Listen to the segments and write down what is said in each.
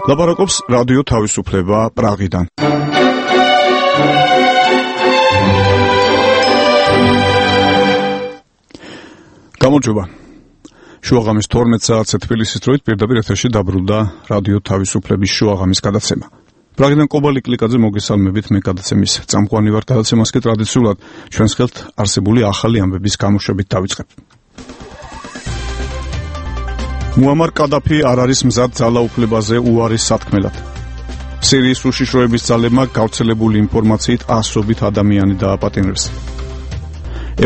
ლაპარაკობს რადიო თავისუფლება პრაღიდან. გამარჯობა. შუაღამის 12 საათზე თბილისის დროით პირდაპირ ეთერში დაბრუნდა რადიო თავისუფლების შუაღამის გადაცემა. პრაღიდან კობალი კლიკაძე მოგესალმებით, მე გადაცემის წამყვანი ვარ. გადაცემას კი ტრადიციულად ჩვენს ხელთ არსებული ახალი ამბების გამოშვებით დავიწყებ. მუამარ კადაფი არ არის მზად ძალაუფლებაზე უარის სათქმელად. სირიის უშიშროების ძალებმა გავრცელებული ინფორმაციით ასობით ადამიანი დააპატიმრეს.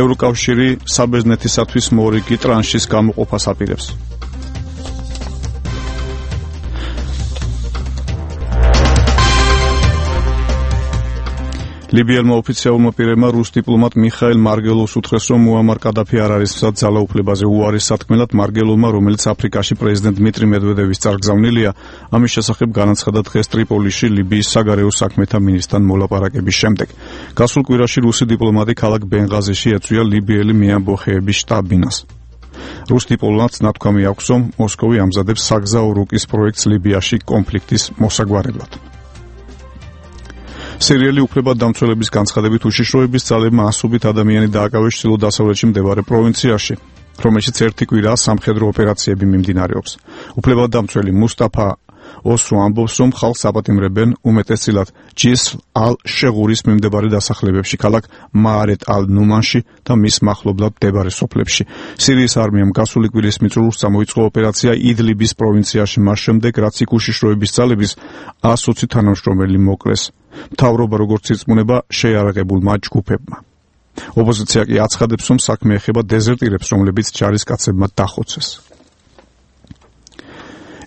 ევროკავშირი საბერძნეთისათვის მორიგი ტრანშის გამოყოფას აპირებს. ლიბიელმა ოფიციალურმა პირებმა რუს დიპლომატ მიხაილ მარგელოვს უთხრეს, რომ მუამარ კადაფი არ არის მზად ძალაუფლებაზე უარის სათქმელად. მარგელოვმა, რომელიც აფრიკაში პრეზიდენტ დმიტრი მედვედევის წარგზავნილია, ამის შესახებ განაცხადა დღეს ტრიპოლიში ლიბიის საგარეო საქმეთა მინისტრთან მოლაპარაკების შემდეგ. გასულ კვირაში რუსი დიპლომატი ქალაქ ბენღაზიში ეწვია ლიბიელი მეამბოხეების შტაბ-ბინას. რუს დიპლომატს ნათქვამი აქვს, რომ მოსკოვი ამზადებს საგზაო რუკის პროექტს ლიბიაში კონფლიქტის მოსაგვარებლად. სერიალი უფლებადამცველების განცხადებით უშიშროების ძალებმა ასობით ადამიანი დააკავეს ჩრდილო-დასავლეთში მდებარე პროვინციაში, რომელშიც ერთი კვირაა სამხედრო ოპერაციები მიმდინარეობს. უფლებადამცველი მუსტაფა ოსუ ამბობს, რომ ხალხს აპატიმრებენ უმეტესწილად ჯისრ ალ-შეღურის მიმდებარე დასახლებებში, ქალაქ მაარეთ ალ-ნუმანში და მის მახლობლად მდებარე სოფლებში. სირიის არმიამ გასული კვირის მიწურულს წამოიწყო ოპერაცია იდლიბის პროვინციაში, მას შემდეგ, რაც იქ უშიშროების ძალების 120 თანამშრომელი მოკლეს. მთავრობა როგორც ირწმუნება შეიარაღებულმა ჯგუფებმა. ოპოზიცია კი აცხადებს, რომ საქმე ეხება დეზერტირებს, რომლებიც ჯარისკაცებმა დახოცეს.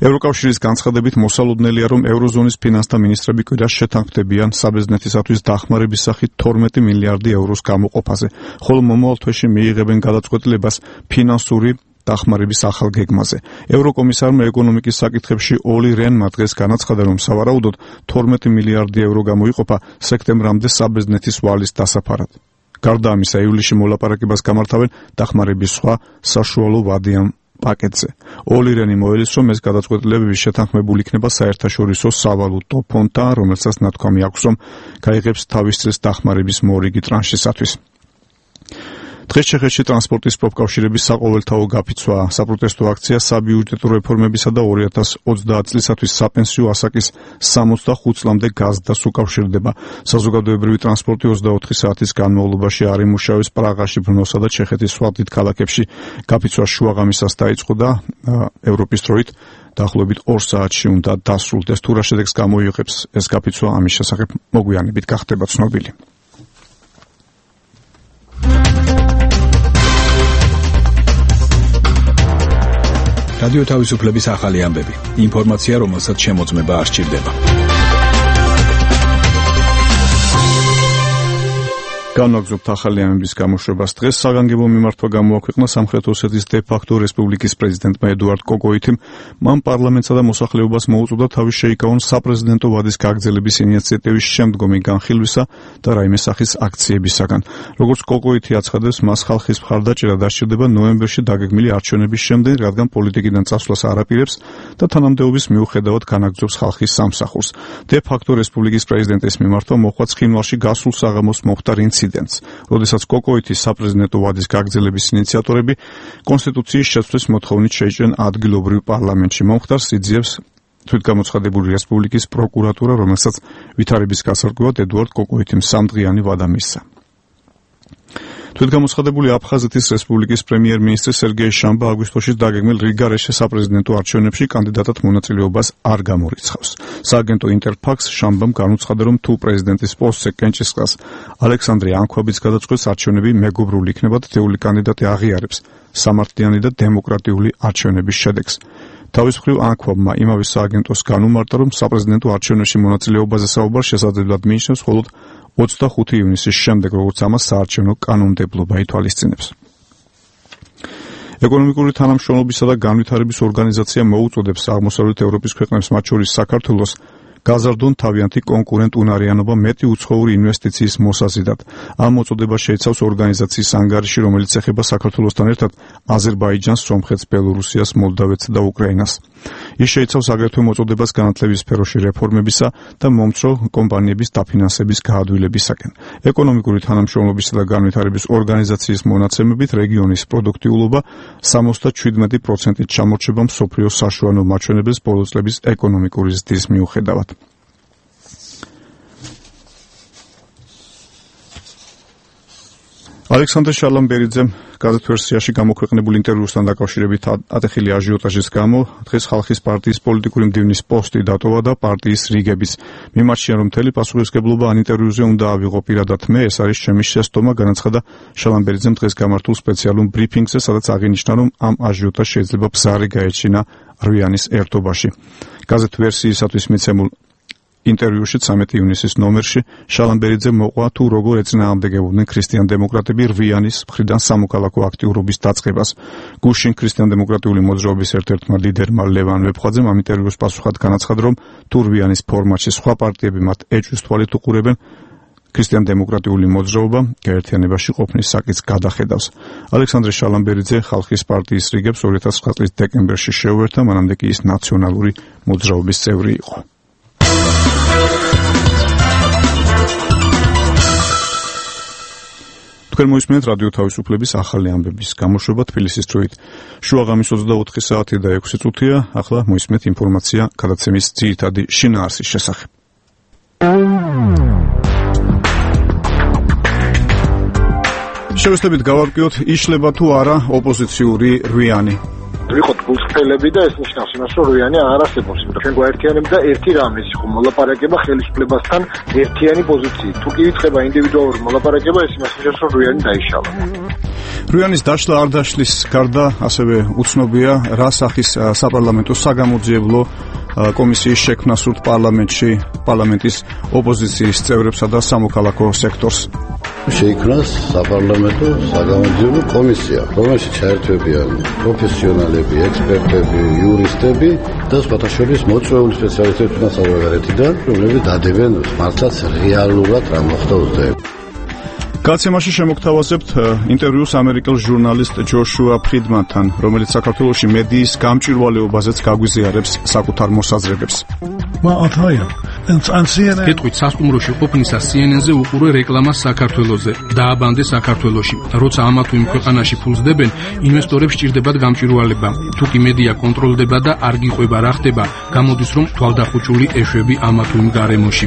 ევროკავშირის განცხადებით მოსალოდნელია, რომ ევროზონის ფინანსთა მინისტრები კვირას შეთანხმდებიან საბერძნეთისათვის დახმარების სახით 12 მილიარდი ევროს გამოყოფაზე, ხოლო მომავალ თვეში მიიღებენ გადაწყვეტილებას ფინანსური დახმარების ახალ გეგმაზე. ევროკომისარმა ეკონომიკის საკითხებში ოლი რენმა დღეს განაცხადა, რომ სავარაუდოდ 12 მილიარდი ევრო გამოიყოფა სექტემბრამდე საბერძნეთის ვალის დასაფარად. გარდა ამისა, ივლისში მოლაპარაკებას გამართავენ დახმარების სხვა საშუალო ვადიან პაკეტზე. ოლი რენი მოელის, რომ ეს გადაწყვეტილებები შეთანხმებული იქნება საერთაშორისო სავალუტო ფონდთან, რომელსაც ნათქვამი აქვს, რომ გაიღებს თავის წელს დახმარების მორიგი ტრანშისათვის. დღეს ჩეხეთში ტრანსპორტის პროფკავშირების საყოველთაო გაფიცვა საპროტესტო აქცია საბიუჯეტო რეფორმებისა და 2030 წლისათვის საპენსიო ასაკის 65 წლამდე გაზდას უკავშირდება. საზოგადოებრივი ტრანსპორტი 24 საათის განმავლობაში არ იმუშავებს პრაღაში, ბრნოსა და ჩეხეთის სხვა დიდ ქალაქებში. გაფიცვა შუაღამისას დაიწყო და ევროპის დროით დაახლოებით 2 საათში უნდა დასრულდეს. თუ რა შედეგს გამოიღებს ეს გაფიცვა, ამის შესახებ მოგვიანებით გახდება ცნობილი. რადიო თავისუფლების ახალი ამბები. ინფორმაცია, რომელსაც შემოწმება არ სჭირდება. განაგზობთ ახალი ამბების გამოშვებას. დღეს საგანგებო მიმართვა გამოაქვეყნა სამხრეთ ოსეთის დე-ფაქტო რესპუბლიკის პრეზიდენტმა ედუარდ კოკოიტიმ. მან პარლამენტსა და მოსახლეობას მოუწოდა თავის შეიკავონ საპრეზიდენტო ვადის გაგრძელების ინიციატივის შემდგომი განხილვისა და რაიმე სახის აქციებისაგან. როგორც კოკოიტი აცხადებს, მას ხალხის მხარდაჭერა დასჭირდება ნოემბერში დაგეგმილი არჩევნების შემდეგ, რადგან პოლიტიკიდან წასვლას არ აპირებს და თანამდებობის მიუხედავად განაგზობს ხალხის სამსახურს. დე-ფაქტო რესპუბლიკის პრეზიდენტის მიმართვა მოხდა ცხინვალში გასულ საღამოს მომხდარ ინციდენტს, როდესაც კოკოიტის საპრეზიდენტო ვადის გაგრძელების ინიციატორები კონსტიტუციის შეცვლის მოთხოვნით შეიჭრნენ ადგილობრივ პარლამენტში. მომხდარს იძიებს თვითგამოცხადებული რესპუბლიკის პროკურატურა, რომელსაც ვითარების გასარკვევად ედუარდ კოკოიტიმ 3 დღიანი ვადა მისცა. თვითგამოცხადებული აფხაზეთის რესპუბლიკის პრემიერ-მინისტრი სერგეი შამბა აგვისტოში დაგეგმილ რიგარეშე საპრეზიდენტო არჩევნებში კანდიდატად მონაწილეობას არ გამორიცხავს. სააგენტო ინტერფაქს შამბამ განუცხადა, რომ თუ პრეზიდენტის პოსტზე კენჭისყრას ალექსანდრე ანქვაბიც გადაწყვეტს, არჩევნები მეგობრული იქნება და თეული კანდიდატი აღიარებს სამართლიანი და დემოკრატიული არჩევნების შედეგს. თავის მხრივ ანქვაბმა იმავე სააგენტოს განუმარტა, რომ საპრეზიდენტო არჩევნებში მონაწილეობაზე საუბარ შესაძლებლად მიიჩნევს მხოლოდ 25 ივნისის შემდეგ, როგორც ამას საარჩევნო კანონმდებლობა ითვალისწინებს. ეკონომიკური თანამშრომლობისა და განვითარების ორგანიზაცია მოუწოდებს აღმოსავლეთ ევროპის ქვეყნებს, მათ შორის საქართველოს, გაზარდონ თავიანთი კონკურენტუნარიანობა მეტი უცხოური ინვესტიციის მოსაზიდად. ამ მოწოდება შეიცავს ორგანიზაციის ანგარიში, რომელიც ეხება საქართველოსთან ერთად აზერბაიჯანს, სომხეთს, ბელორუსიას, მოლდავეთს და უკრაინას. ის შეიცავს აგრეთვე მოწოდებას განათლების სფეროში რეფორმებისა და მომცრო კომპანიების დაფინანსების გაადვილებისაკენ. ეკონომიკური თანამშრომლობისა და განვითარების ორგანიზაციის მონაცემებით რეგიონის პროდუქტიულობა 77%-ით ჩამორჩება მსოფლიოს საშუალო მაჩვენებლის ბოლო წლების ეკონომიკური ზრდის მიუხედავად. ალექსანდრე შალამბერიძემ გაზეთ ვერსიაში გამოქვეყნებულ ინტერვიუსთან დაკავშირებით ატეხილი აჟიოტაჟის გამო დღეს ხალხის პარტიის პოლიტიკური მდივნის პოსტი დატოვა და პარტიის რიგების მიმარჩია, რომ მთელი პასუხისმგებლობა ამ ინტერვიუზე უნდა ავიღო პირადად მე, ეს არის ჩემი შესტომა, განაცხადა შალამბერიძემ დღეს გამართულ სპეციალურ ბრიფინგზე, სადაც აღინიშნა, რომ ამ აჟიოტაჟს შეიძლება ბზარი გაეჩინა რვიანის ერთობაში. გაზეთ ვერსიისათვის მიცემულ ინტერვიუში 13 ივნისის ნომერში შალამბერიძე მოყვა თუ როგორ ეწინააღმდეგებოდნენ ქრისტიან-დემოკრატები რვიანის მხრიდან სამოქალაქო აქტიურობის დაწყებას. გუშინ ქრისტიან-დემოკრატიული მოძრაობის ერთ-ერთმა ლიდერმა ლევან ვეფხვაძემ ამ ინტერვიუს პასუხად განაცხადა, რომ თუ რვიანის ფორმატში სხვა პარტიები მათ ეჭვის თვალით უყურებენ, ქრისტიან-დემოკრატიული მოძრაობა გაერთიანებაში ყოფნის საკითხს გადახედავს. ალექსანდრე შალამბერიძე ხალხის პარტიის რიგებს 2009 წლის დეკემბერში შეუერთდა, მანამდე კი ის ნაციონალური მოძრაობის წევრი იყო. თქვენ მოისმენთ რადიო თავისუფლების ახალი ამბების გამოშვება თბილისის დროით. შუაღამის 24 საათი და 6 წუთია. ახლა მოისმენთ ინფორმაცია გადაცემის ძირითადი შინაარსის შესახებ. შევეცდებით გავარკვიოთ, იშლება თუ არა ოპოზიციური რვიანი. ვიყოთ გულწრფელები და ეს ნიშნავს იმას, რომ რვიანი არ არსებობს. ჩვენ გვაერთიანებ და ერთი რამ ეს იყო მოლაპარაკება ხელისუფლებასთან ერთიანი პოზიციით. თუ კი იწყება ინდივიდუალური მოლაპარაკება, ეს იმას ნიშნავს, რომ რვიანი დაიშალა. რვიანის დაშლა არ დაშლის გარდა ასევე უცნობია, რა სახის საპარლამენტო საგამოძიებლო კომისიის შექმნა სურთ პარლამენტის ოპოზიციის წევრებსა და სამოქალაქო სექტორს. შეიქმნას საპარლამენტო საგამოძიებლო კომისია, რომელშიც ჩაერთვებიან პროფესიონალები, ექსპერტები, იურისტები და სხვათა შორის მოწვეული სპეციალისტები თუნდაც რომლებიც დადებენ მართლაც რეალურად რა მოხდა ოცნებაში. გაცემაში შემოგთავაზებთ ინტერვიუს ამერიკელ ჟურნალისტ ჯოშუა ფრიდმანთან, რომელიც საქართველოში მედიის გამჭვირვალეობაზეც გაგვიზიარებს საკუთარ მოსაზრებებს. კითხვით სასტუმროში ყოფნისა CNN-ზე უყურე რეკლამას საქართველოზე. დააბანდე საქართველოში. როცა ამა თუ იმ ქვეყანაში ფულს დებენ, ინვესტორებს სჭირდებათ გამჭვირვალება. თუ კი მედია კონტროლდება და არ გიყვება რა ხდება, გამოდის რომ თვალდახუჭული ეშვები ამა თუ იმ გარემოში.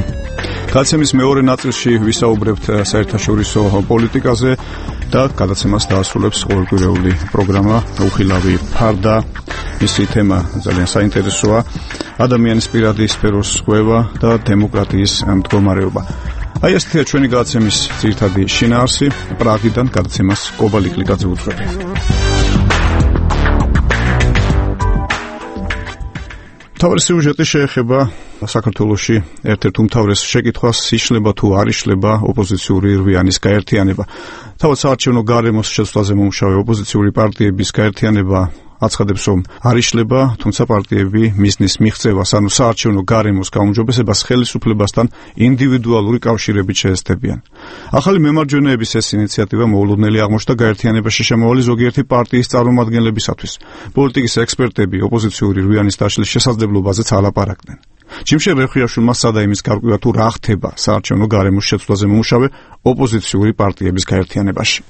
გადაცემის მეორე ნაწილში ვისაუბრებთ საერთაშორისო პოლიტიკაზე და გადაცემას დაასრულებს ყოველკვირეული პროგრამა უხილავი ფარდა. მისი თემა ძალიან საინტერესოა: ადამიანის პირადი სფეროს ზღვევა და დემოკრატიის მდგომარეობა. აი ესეთი ჩვენი გადაცემის ძირითადი შინაარსი. პრაღიდან გადაცემას კობალიკლიკაძე უძღვებია. თავარი სიუჟეტი შეეხება საქართველოში ერთ-ერთ უმთავრეს შეკითხვას, იშლება თუ არ იშლება ოპოზიციური რვიანის გაერთიანება. თავად საარჩევნო გარემოს შეცვლაზე მომუშავე ოპოზიციური პარტიების გაერთიანება აცხადებს, რომ არ იშლება, თუმცა პარტიები მიზნის მიღწევას, ანუ საარჩევნო გარემოს გაუმჯობესებას ხელისუფლებასთან ინდივიდუალური კავშირებით შეესწებიან. ახალი მემარჯვენეების ეს ინიციატივა მოულოდნელი აღმოჩნდა გაერთიანებაში შემავალი ზოგიერთი პარტიის წარმომადგენლებისათვის. პოლიტიკის ექსპერტები ოპოზიციური რვიანის დაშლის შესაძლებლობაზეც ალაპარაკდნენ. ჯიმშე რეხუიაშვილმა სცადა იმის გარკვევა, თუ რა ხდება საარჩევნო გარემოს შეცვლაზე მომუშავე ოპოზიციური პარტიების გაერთიანებაში.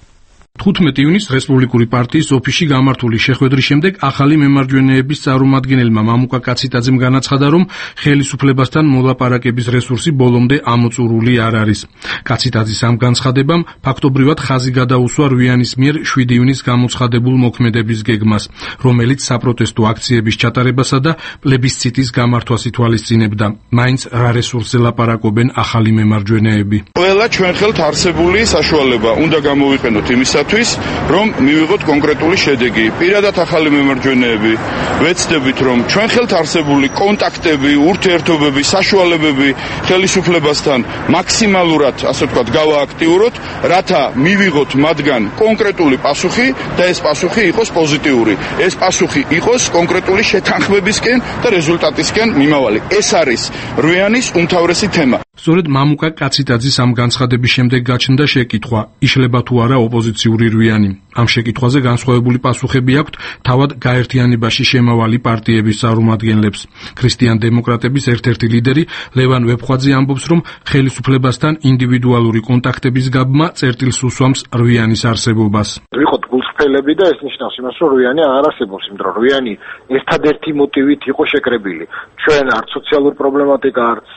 15 ივნისს რესპუბლიკური პარტიის ოფისში გამართული შეხვედრის შემდეგ ახალი მემარჯვენეების წარმომადგენელმა მამუკა კაციტაძემ განაცხადა, რომ ხელისუფლებასთან მოლაპარაკების რესურსი ბოლომდე ამოწურული არ არის. კაციტაძის ამ განცხადებამ ფაქტობრივად ხაზი გადაუსვა რვიანის მიერ 7 ივნისს გამოცხადებულ მოქმედების გეგმას, რომელიც საპროტესტო აქციების ჩატარებასა და პლებისციტის გამართვას ითვალისწინებდა. მაინც რა რესურსზე ლაპარაკობენ ახალი მემარჯვენეები? ყველა ჩვენ ხელთ არსებული საშუალება უნდა გამოვიყენოთ იმისათვის, იმისათვის, რომ მივიღოთ კონკრეტული შედეგი. პირადად ახალი მემარჯვენეები ვეცდებით, რომ ჩვენ ხელთ არსებული კონტაქტები, ურთიერთობები, საშუალებები ხელისუფლებასთან მაქსიმალურად, ასე ვთქვათ, გავააქტიუროთ, რათა მივიღოთ მათგან კონკრეტული პასუხი და ეს პასუხი იყოს პოზიტიური. ეს პასუხი იყოს კონკრეტული შეთანხმებისკენ და რეზულტატისკენ მიმავალი. ეს არის რვიანის უმთავრესი თემა. სწორედ მამუკა კაციტაძის ამ განცხადების შემდეგ გაჩნდა შეკითხვა, იშლება თუ არა ოპოზიციური რვიანი. ამ შეკითხვაზე განსხვავებული პასუხები აქვთ თავად გაერთიანებაში შემავალი პარტიების წარმომადგენლებს. ქრისტიან დემოკრატების ერთ-ერთი ლიდერი ლევან ვეფხვაძე ამბობს, რომ ხელისუფლებასთან ინდივიდუალური კონტაქტების გაბმა წერტილს უსვამს რვიანის არსებობას. ვიყოთ გულწრფელები და ეს ნიშნავს იმას, რომ რვიანი არ არსებობს, იმიტომ რომ რვიანი ერთადერთი მოტივით იყო შეკრებილი. ჩვენ არც სოციალურ პრობლემატიკა, არც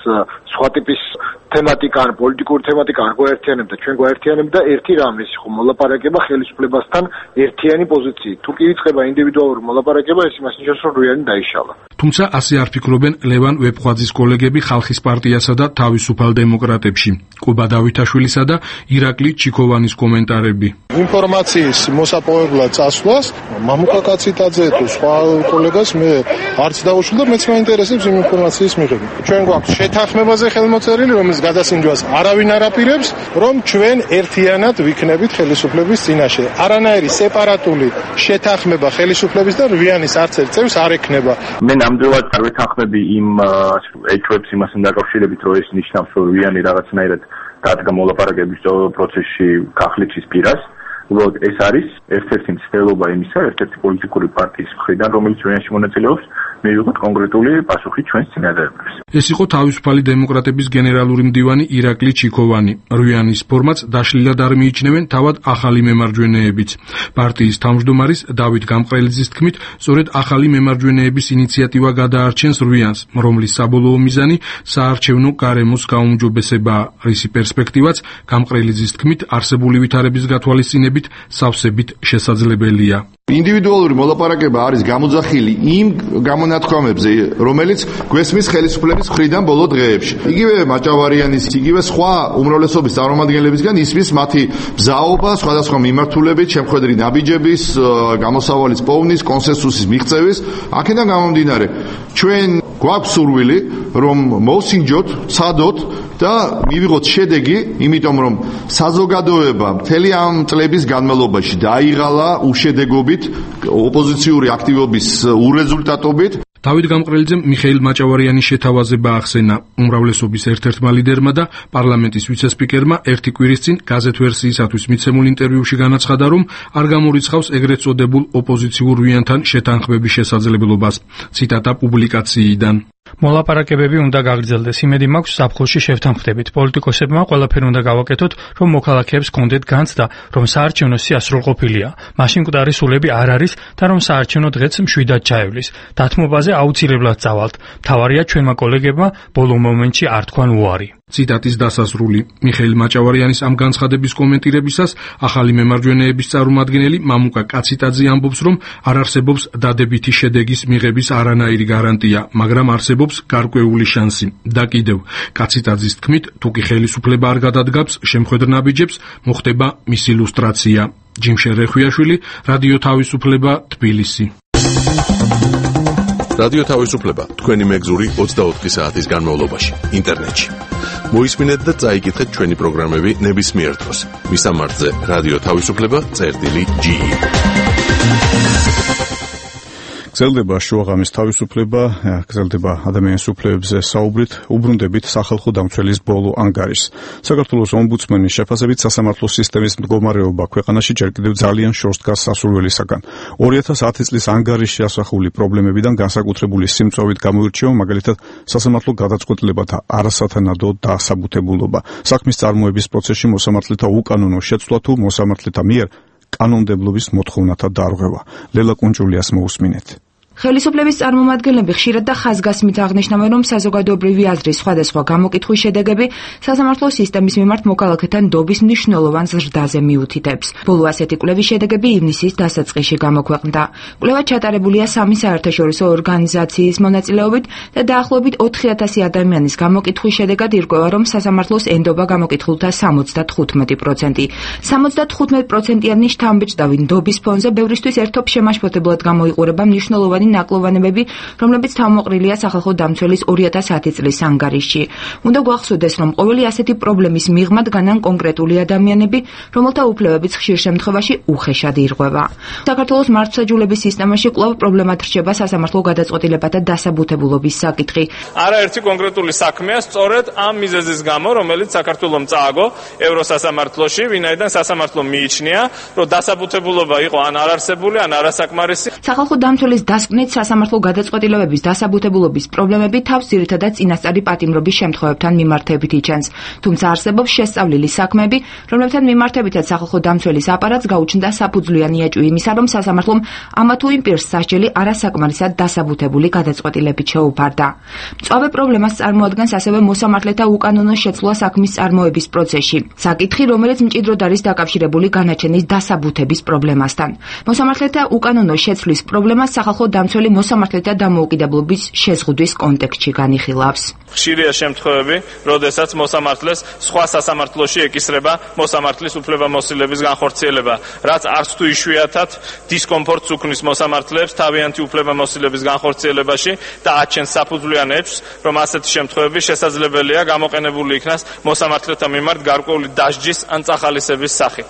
სხვა ტიპის თემატიკა, ან პოლიტიკური თემატიკა არ გვაერთიანებდა, ჩვენ გვაერთიანებდა ერთი რამ, ის იყო მოლაპარაკება ხელისუფლებასთან ერთიანი პოზიციით. თუ კი იწყება ინდივიდუალური მოლაპარაკება, ეს იმას ნიშნავს, რომ რვიანი დაიშალა. თუმცა ასე არ ფიქრობენ ლევან ვეფხვაძის კოლეგები ხალხის პარტიასა და თავისუფალ დემოკრატებში. კუბა დავითაშვილისა და ირაკლი ჩიქოვანის კომენტარები. ინფორმაციის მოსაპოვებლად წასვლას მამუკა კაციტაძე თუ სხვა კოლეგას მე არც დაუშვი და მეც მაინტერესებს იმ ინფორმაციის მიღება. ჩვენ გვაქვს შეთანხმებაზე ხელმოწერილი, რომელიც გადასინჯვას არავინ არ აპირებს, რომ ჩვენ ერთიანად ვიქნებით ხელისუფლების წინაშე. არანაირი სეპარატული შეთანხმება ხელისუფლების და რვიანის არც ერთ წევს არ ექნება. მე ნამდვილად არ ვეთანხმები იმ ეჭვებს იმასთან დაკავშირებით, რომ ეს ნიშნავს, რომ რვიანი რაღაცნაირად დადგა მოლაპარაკების პროცესში კახლიჩის პირას. უბრალოდ ეს არის ერთ-ერთი მცდელობა იმისა, ერთ-ერთი პოლიტიკური პარტიის მხრიდან, რომელიც რვიანში მონაწილეობს, მივიღოთ კონკრეტული პასუხი ჩვენს წინადადებას. ეს იყო თავისუფალი დემოკრატების გენერალური მდივანი ირაკლი ჩიქოვანი. რვიანის ფორმატს დაშლილად არ მიიჩნევენ თავად ახალი მემარჯვენეებიც. პარტიის თავმჯდომარის დავით გამყრელიძის თქმით, სწორედ ახალი მემარჯვენეების ინიციატივა გადაარჩენს რვიანს, რომლის საბოლოო მიზანი საარჩევნო გარემოს გაუმჯობესებაა. რისი პერსპექტივაც გამყრელიძის თქმით, არსებული ვითარების გათვალისწინებით სავსებით შესაძლებელია. ინდივიდუალური მოლაპარაკება არის გამოძახილი იმ გამონათქვამებზე, რომელიც გვესმის ხელისუფლების მხრიდან ბოლო დღეებში. იგივე მაჭავარიანის, იგივე სხვა უმრავლესობის წარმომადგენლებისგან ისმის მათი ბზაობა სხვადასხვა მიმართულებით, შემხედრი ნაბიჯების, გამოსავალის პოვნის, კონსენსუსის მიღწევის, აქედან გამომდინარე, ჩვენ გვაქვს სურვილი, რომ მოვსინჯოთ, ცადოთ და მივიღოთ შედეგი, იმიტომ რომ საზოგადოება მთელი ამ წლების განმავლობაში დაიღალა უშედეგობით, ოპოზიციური აქტივობის ურეზულტატობით. დავით გამყრელიძემ მიხეილ მაჭავარიანის შეთავაზება ახსენა. უმრავლესობის ერთ-ერთმა ლიდერმა და პარლამენტის ვიცე-სპიკერმა ერთი კვირის წინ გაზეთ ვერსიისათვის მიცემულ ინტერვიუში განაცხადა, რომ არ გამორიცხავს ეგრეთ წოდებულ ოპოზიციურ რვიანთან შეთანხმების შესაძლებლობას. ციტატა პუბლიკაციიდან. მოლაპარაკებები უნდა გაგრძელდეს. იმედი მაქვს ზაფხულში შევთანხმდებით. პოლიტიკოსებმა ყველაფერი უნდა გავაკეთოთ, რომ მოქალაქეებს კონდეთ განცდა, რომ საარჩევნო სია სრულყოფილია. მაშინ მკვდარი სულები არ არის და რომ საარჩევნო დღეც მშვიდად ჩაივლის. დათმობაზე აუცილებლად წავალთ. მთავარია ჩვენმა კოლეგებმა ბოლო მომენტში არ თქვან უარი. ციტატის დასასრული. მიხეილ მაჭავარიანის ამ განცხადების კომენტირებისას ახალი მემარჯვენეების წარმომადგენელი მამუკა კაციტაძე ამბობს, რომ არ არსებობს დადებითი შედეგის მიღების არანაირი გარანტია, მაგრამ არსებობს გარკვეული შანსი. და კიდევ, კაციტაძის თქმით, თუ კი ხელისუფლება არ გადადგამს შემხედრ ნაბიჯებს, მოხდება მისი ლუსტრაცია. ჯიმშე რეხვიაშვილი, რადიო თავისუფლება, თბილისი. რადიო თავისუფლება, თქვენი მეგზური 24 საათის განმავლობაში, ინტერნეტში. მოისმინეთ და წაიკითხეთ ჩვენი პროგრამები ნებისმიერ დროს. მისამართზე რადიო თავისუფლება.ge. გრძელდება შუაღამის თავისუფლება, გრძელდება ადამიანის უფლებებზე საუბრით, უბრუნდებით სახალხო დამცველის ბოლო ანგარიშს. საქართველოს ომბუდსმენის შეფასებით სასამართლო სისტემის მდგომარეობა ქვეყანაში ჯერ კიდევ ძალიან შორს დგას სასურველისაგან. 2010 წლის ანგარიშში ასახული პრობლემებიდან განსაკუთრებული სიმწვევით გამოირჩევა მაგალითად სასამართლო გადაწყვეტილებათა არასათანადო დასაბუთებულობა. საქმის წარმოების პროცესში მოსამართლეთა უკანონო შეცვლა თუ მოსამართლეთა მიერ კანონმდებლობის მოთხოვნათა დარღვევა. ლელა კუნჭულიას მოусმინეთ. ხელისუფლების წარმომადგენლები ხშირად და ხაზგასმით აღნიშნავენ, რომ საზოგადოებრივი აზრის სხვადასხვა გამოკითხვის შედეგები სასამართლო სისტემის მიმართ მოქალაქეთა ნდობის მნიშვნელოვან ზრდაზე მიუთითებს. ბოლო ასეთი კვლევის შედეგები ივნისის დასაწყისში გამოქვეყნდა. კვლევა ჩატარებულია 3 საერთაშორისო ორგანიზაციის მონაწილეობით და დაახლოებით 4000 ადამიანის გამოკითხვის შედეგად ირკვევა, რომ სასამართლოს ენდობა გამოკითხულთა 75%. 75%-იანი შთამბეჭდავი ნდობის ფონზე ბევრისთვის ერთობ შემაშფოთებლად გამოიყურება მნიშვნელოვანი ნაკლოვანებები, რომლებიც თავმოყრილია სახალხო დამცველის 2010 წლის ანგარიშში. უნდა გვახსოვდეს, რომ ყოველი ასეთი პრობლემის მიღმად განან კონკრეტული ადამიანები, რომელთა უფლებებიც ხშირ შემთხვევაში უხეშად ირღვევა. საქართველოს მართლმსაჯულების სისტემაში კვლავ პრობლემად რჩება სასამართლო გადაწყვეტილებათა დასაბუთებულობის საკითხი. არაერთი კონკრეტული საქმეა სწორედ ამ მიზეზის გამო, რომელიც საქართველომ წააგო ევროსასამართლოში, ვინაიდან სასამართლო მიიჩნია, რომ დასაბუთებულობა იყო ან არარსებული, ან არასაკმარისი. სახალხო დამცველის დასკვნით სასამართლო გადაწყვეტილებების დასაბუთებულობის პრობლემები თავს ძირითადად წინასწარი პატიმრობის შემთხვევებთან მიმართებით იჩენს. თუმცა არსებობს შესწავლილი საქმეები, რომლებთან მიმართებითაც სახალხო დამცველის აპარატს გაუჩნდა საფუძვლიანი ეჭვი იმისა, რომ სასამართლომ ამა თუ იმ პირს სასჯელი არასაკმარისად დასაბუთებული გადაწყვეტილებით შეუფარდა. მწვავე პრობლემას წარმოადგენს ასევე მოსამართლეთა უკანონო შეცვლა საქმის წარმოების პროცესში. საკითხი, რომელიც მჭიდროდ არის დაკავშირებული განაჩენის დასაბუთების პრობლემასთან. მოსამართლეთა უკანონო შეცვლის პრობლემას სახალხო დამცველი მოსამართლეთა დამოუკიდებლობის შეზღუდვის კონტექსტში განიხილავს. ხშირია შემთხვევები, როდესაც მოსამართლეს სხვა სასამართლოში ეკისრება მოსამართლის უფლებამოსილების განხორციელება, რაც არც თუ იშვიათად დისკომფორტს უქმნის მოსამართლეებს თავიანთი უფლებამოსილების განხორციელებაში და აჩენს საფუძვლიან ეჭვს, რომ ასეთი შემთხვევები შესაძლებელია გამოყენებული იქნას მოსამართლეთა მიმართ გარკვეული დასჯის ან წახალისების სახით.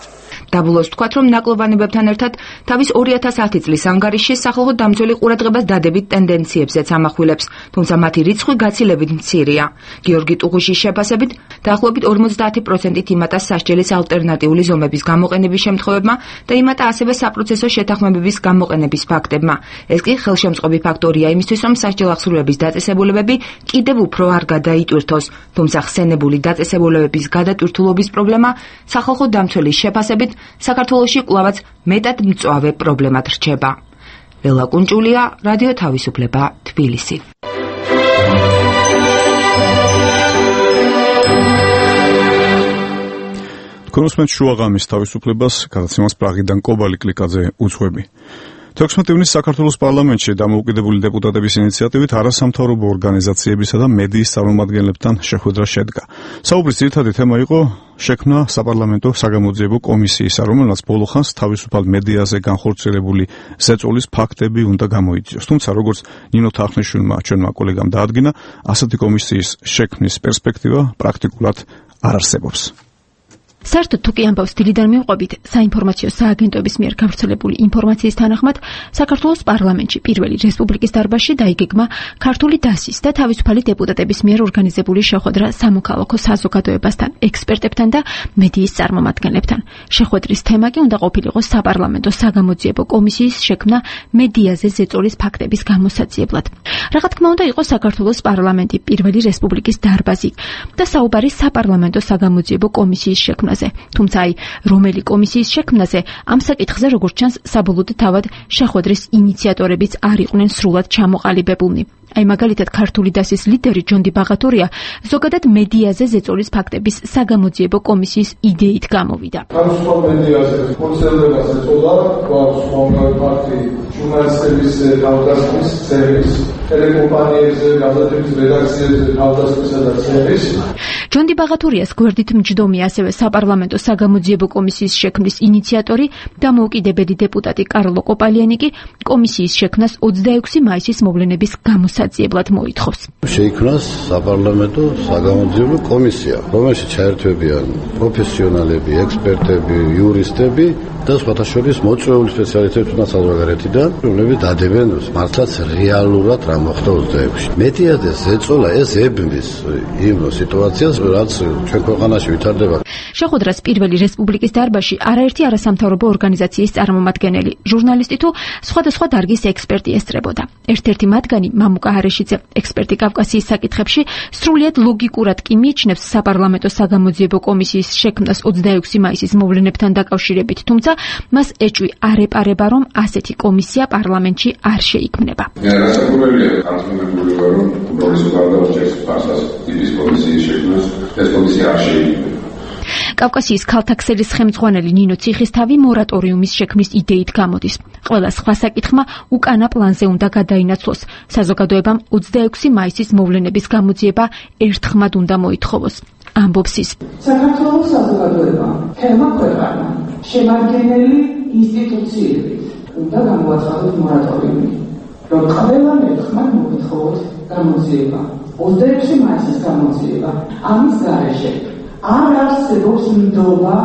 დაბოლოს ვთქვათ, რომ ნაკლოვანებებთან ერთად თავის 2010 წლის ანგარიშში სახალხო დამცველი ყურადღებას დადებით ტენდენციებზეც ამახვილებს, თუმცა მათი რიცხვი გაცილებით მცირეა. გიორგი ტუღუშის შეფასებით, დაახლოებით 50%-ით იმატა სასჯელის ალტერნატიული ზომების გამოყენების შემთხვევებმა და იმატა ასევე საპროცესო შეთანხმებების გამოყენების ფაქტებმა. ეს კი ხელშემწყობი ფაქტორია იმისთვის, რომ სასჯელახსრულების დაწესებულებები კიდევ უფრო არ გადაიტვირთოს, თუმცა ხსენებული დაწესებულებების გადატვირთულობის პრობლემა სახალხო დამცველის შეფასებით საქართველოში კვლავაც მეტად მწვავე პრობლემად რჩება. ლელა კუნჭულია, რადიო თავისუფლება, თბილისი. თქვენ უსმენთ შუაღამის თავისუფლებას, გადაცემას პრაღიდან კობალი კლიკაძე უძღვები. 16 ივნისს საქართველოს პარლამენტში დამოუკიდებელი დეპუტატების ინიციატივით არასამთავრობო ორგანიზაციებისა და მედიის წარმომადგენლებთან შეხვედრა შედგა. საუბრის ძირითადი თემა იყო შექმნა საპარლამენტო საგამოძიებო კომისიისა, რომელსაც ბოლო ხანს თავისუფალ მედიაზე განხორციელებული ზეწოლის ფაქტები უნდა გამოიძიოს. თუმცა, როგორც ნინო თახნიშვილმა ჩვენმა კოლეგამ დაადგინა, ასეთი კომისიის შექმნის პერსპექტივა პრაქტიკულად არ არსებობს. საერთოდ თუ კი ამბავს დილიდან მივყვებით, საინფორმაციო სააგენტოების მიერ გავრცელებული ინფორმაციის თანახმად, საქართველოს პარლამენტში პირველი რესპუბლიკის დარბაზში დაიგეგმა ქართული დასის და თავისუფალი დეპუტატების მიერ ორგანიზებული შეხვედრა სამოქალაქო საზოგადოებასთან, ექსპერტებთან და მედიის წარმომადგენლებთან. შეხვედრის თემა კი უნდა ყოფილიყო საპარლამენტო საგამოძიებო კომისიის შექმნა მედიაზე ზეწოლის ფაქტების გამოსაძიებლად. რა თქმა უნდა, იყო საქართველოს პარლამენტი პირველი რესპუბლიკის დარბაზი და საუბარი საპარლამენტო საგამოძიებო კომისიის შექმნაზე. თუმცა რომელი კომისიის შექმნაზე ამ საკითხზე როგორც ჩანს საბოლოოდ თავად შეხვედრის ინიციატორებიც არ იყვნენ სრულად ჩამოყალიბებულნი. მაგალითად ქართული დასის ლიდერი ჯონდი ბაღათურია ზოგადად მედიაზე ზეწოლის ფაქტების საგამოძიებო კომისიის იდეით გამოვიდა. თავისუფალ მედიაზე კონცერნებას ეწოდა გვაქვს მომავალი ფაქტი ჟურნალისტების თავდასხმის წერის, ტელეკომპანიებზე, გაზეთების რედაქციებზე თავდასხმისა და წერის. ჯონდი ბაღათურიას გვერდით მჯდომია ასევე საპარლამენტო საგამოძიებო კომისიის შექმნის ინიციატორი დამოუკიდებელი დეპუტატი კარლო კოპალიანი კი კომისიის შექმნას 26 მაისის მოვლენების გამოსაძიებლად მოითხოვს. შეიქმნას საპარლამენტო საგამოძიებო კომისია, რომელშიც ჩაერთვებიან პროფესიონალები, ექსპერტები, იურისტები და სხვათა შორის მოწვეული სპეციალისტები თუნდაც საზღვარგარეთიდან, რომლებიც დადებენ მართლაც რეალურად რა მოხდა 26-ში. მედიაზე ზეწოლა ეს ებმის იმ სიტუაციას, რაც ჩვენ ქვეყანაში ვითარდება. შეხვედრას პირველი რესპუბლიკის დარბაზში არაერთი არასამთავრობო ორგანიზაციის წარმომადგენელი, ჟურნალისტი თუ სხვადასხვა დარგის ექსპერტი ესწრებოდა. ერთ-ერთი მათგანი მამუკა ჰარეშიძე, ექსპერტი კავკასიის საკითხებში, სრულიად ლოგიკურად კი მიიჩნევს საპარლამენტო საგამოძიებო კომისიის შექმნას 26 მაისის მოვლენებთან დაკავშირებით, თუმცა მას ეჭვი არ ეპარება, რომ ასეთი კომისია პარლამენტში არ შეიქმნება. განსაკუთრებია ხანგრძლივი ვარ, რომ პროგრესულ გარდაუჭერს ფასას ტიპის კომისიის შექმნას, ეს კომისია არ შეიქმნება. კავკასიის ქალთა ქსელის ხელმძღვანელი ნინო ციხისთავი მორატორიუმის შექმნის იდეით გამოდის. ყველა სხვა საკითხმა უკანა პლანზე უნდა გადაინაცვლოს. საზოგადოებამ 26 მაისის მოვლენების გამოძიება ერთხმად უნდა მოითხოვოს. ამბობს ის. საქართველოს საზოგადოება, თემა ქვეყანა, შემადგენელი ინსტიტუციებით უნდა გამოაცხადოს მორატორიუმი, რომ ყველა ერთხმად მოითხოვოს გამოძიება. 26 მაისის გამოძიება ამის გარეშე არ არსებობს ნდობა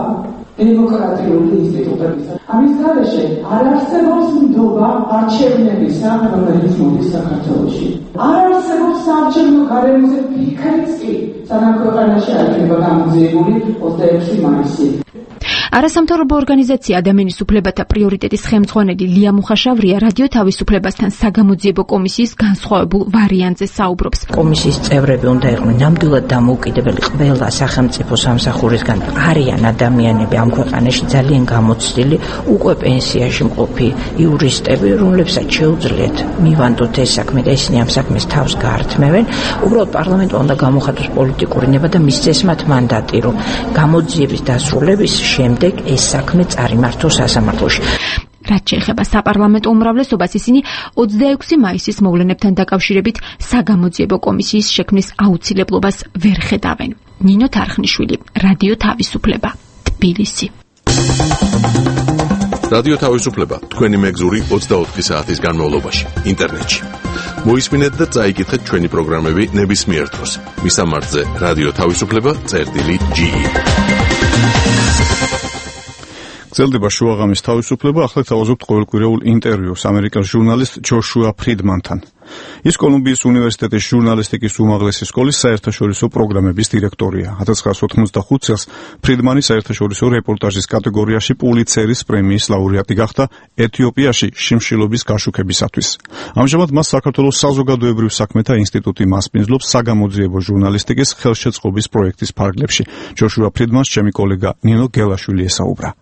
დემოკრატიული ინსტიტუტებისა. ამის გარეშე არ არსებობს ნდობა არჩევნებისა, რომელიც მოდის საქართველოში. არ არსებობს საარჩევნო გარემოზე ფიქრიც კი, სანამ ქვეყანაში არ იქნება გამოძიებული 26 მაისი. არასამთავრობო ორგანიზაცია ადამიანის უფლებათა პრიორიტეტის ხელმძღვანელი ლია მუხაშავრია რადიო თავისუფლებასთან საგამოძიებო კომისიის განსხვავებულ ვარიანტზე საუბრობს. კომისიის წევრები უნდა იყვნენ ნამდვილად დამოუკიდებელი ყველა სახელმწიფო სამსახურისგან. არიან ადამიანები ამ ქვეყანაში ძალიან გამოცდილი, უკვე პენსიაში მყოფი იურისტები, რომლებსაც შეუძლიათ მივანდოთ ეს საქმე და ისინი ამ საქმეს თავს გაართმევენ. უბრალოდ პარლამენტმა უნდა გამოხატოს პოლიტიკური ნება და მისცეს მათ მანდატი, რომ გამოძიების დასრულების შემდეგ ეს საქმე წარიმართოს სასამართლოში. რაც შეეხება საპარლამენტო უმრავლესობას, ისინი 26 მაისის მოვლენებთან დაკავშირებით საგამოძიებო კომისიის შექმნის აუცილებლობას ვერ ხედავენ. ნინო თარხნიშვილი, რადიო თავისუფლება, თბილისი. რადიო თავისუფლება, თქვენი მეგზური 24 საათის განმავლობაში, ინტერნეტში. მოისმინეთ და წაიკითხეთ ჩვენი პროგრამები ნებისმიერ დროს. მისამართზე რადიო თავისუფლება.ge. გრძელდება შუაღამის თავისუფლება, ახლა თავაზობთ ყოველკვირეულ ინტერვიუს ამერიკელ ჟურნალისტ ჯოშუა ფრიდმანთან. ის კოლუმბიის უნივერსიტეტის ჟურნალისტიკის უმაღლესი სკოლის საერთაშორისო პროგრამების დირექტორია. 1985 წელს ფრიდმანი საერთაშორისო რეპორტაჟის კატეგორიაში პულიცერის პრემიის ლაურეატი გახდა ეთიოპიაში შიმშილობის გაშუქებისათვის. ამჟამად მას საქართველოს საზოგადოებრივ საქმეთა ინსტიტუტი მასპინძლობს საგამოძიებო ჟურნალისტიკის ხელშეწყობის პროექტის ფარგლებში. ჯოშუა ფრიდმანს ჩემი კოლეგა ნინო გელაშვილი ესაუბრა.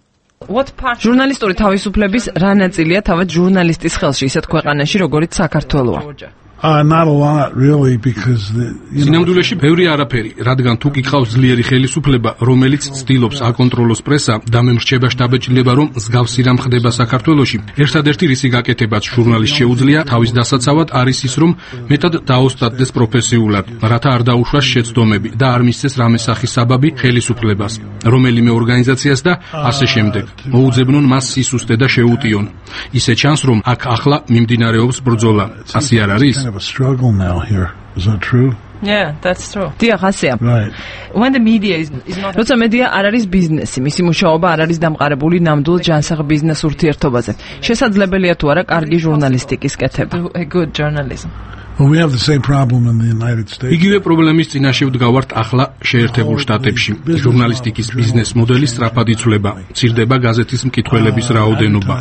ჟურნალისტური თავისუფლების რა ნაწილია თავად ჟურნალისტის ხელში, ისეთ ქვეყანაში, როგორიც საქართველოა? Not a lot really because სინამდვილეში ბევრი არაფერი, რადგან თუ გიყავს ძლიერი ხელისუფლება, რომელიც ცდილობს აკონტროლოს პრესა და მემრჩება შტაბეჭდილება, რომ მსგავსი რამ ხდება საქართველოში, ერთადერთი რისი გაკეთებაც ჟურნალისტს შეუძლია თავის დასაცავად არის ის, რომ მეტად დაოსტატდეს პროფესიულად, რათა არ დაუშვას შეცდომები და არ მისცეს რამე სახის საბაბი ხელისუფლებას, რომელიმე ორგანიზაციას და ასე შემდეგ. მოუძებნონ მას სისუსტე და შეუტიონ. ისე ჩანს, რომ აქ ახლა მიმდინარეობს ბრძოლა. ასე არ არის? A struggle now here. Is that true? Yeah, that's true. დიახ, ასეა. Right. When the media is not როცა მედია არ არის ბიზნესი, მისი მუშაობა არ არის დამყარებული ნამდვილ ჯანსაღ ბიზნეს ურთიერთობაზე. შესაძლებელია თუ არა კარგი ჟურნალისტიკის კეთება. A good journalism. Well, we have the same problem in the United States. იგივე პრობლემის წინაშე ვდგავართ ახლა შეერთებულ შტატებში. ჟურნალისტიკის ბიზნეს მოდელი სწრაფად იცვლება. მცირდება გაზეთის მკითხველების რაოდენობა.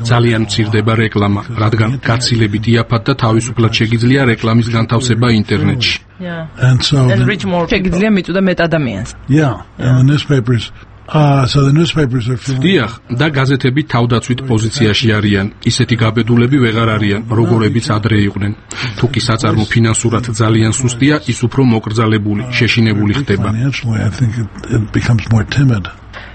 ძალიან მცირდება რეკლამა, რადგან გაცილებით იაფად და თავისუფლად შეგიძლია რეკლამის განთავსება ინტერნეტში. And so შეგიძლია მიწვდა მეტ ადამიანს. Yeah, and the newspapers so the newspapers are feeling დიახ, და გაზეთები თავდაცვით პოზიციაში არიან. ისეთი გაბედულები ვეღარ არიან, როგორებიც ადრე იყვნენ. თუ კი საწარმო ფინანსურად ძალიან სუსტია, ის უფრო მოკრძალებული, შეშინებული ხდება. financially, I think it becomes more timid.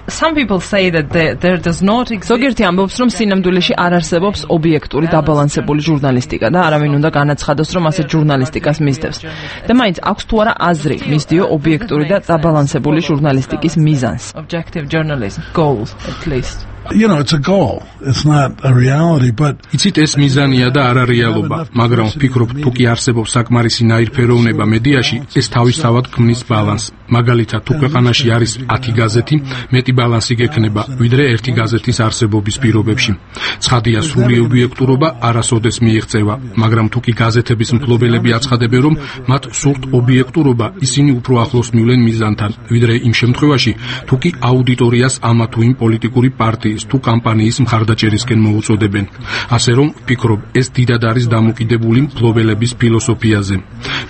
Some people say that there does not exist. ზოგიერთი ამბობს, რომ სინამდვილეში არ არსებობს ობიექტური დაბალანსებული ჟურნალისტიკა და არავინ უნდა განაცხადოს, რომ ასეთ ჟურნალისტიკას მისდევს. და მაინც აქვს თუ არა აზრი მისდიო ობიექტური და დაბალანსებული ჟურნალისტიკის მიზანს. Objective journalism goals at least. You know, it's a goal. It's not a reality, but იცით ეს მიზანია და არა რეალობა, მაგრამ ვფიქრობ, თუ კი არსებობს საკმარისი ნაირფეროვნება მედიაში, ეს თავისთავად ქმნის ბალანსს. მაგალითად, თუ ქვეყანაში არის 10 გაზეთი, მეტი ბალანსი გექნება, ვიდრე ერთი გაზეთის არსებობის პირობებში. ცხადია, სრული ობიექტურობა არასოდეს მიიღწევა, მაგრამ თუ კი გაზეთების მფლობელები აცხადებენ, რომ მათ სურთ ობიექტურობა, ისინი უფრო ახლოს მივლენ მიზანთან, ვიდრე იმ შემთხვევაში, თუ კი აუდიტორიას ამა თუ იმ პოლიტიკური პარტიის თუ კამპანიის მხარდაჭერისკენ მოუწოდებენ. ასე რომ, ვფიქრობ, ეს დიდად არის დამოკიდებული მფლობელების ფილოსოფიაზე.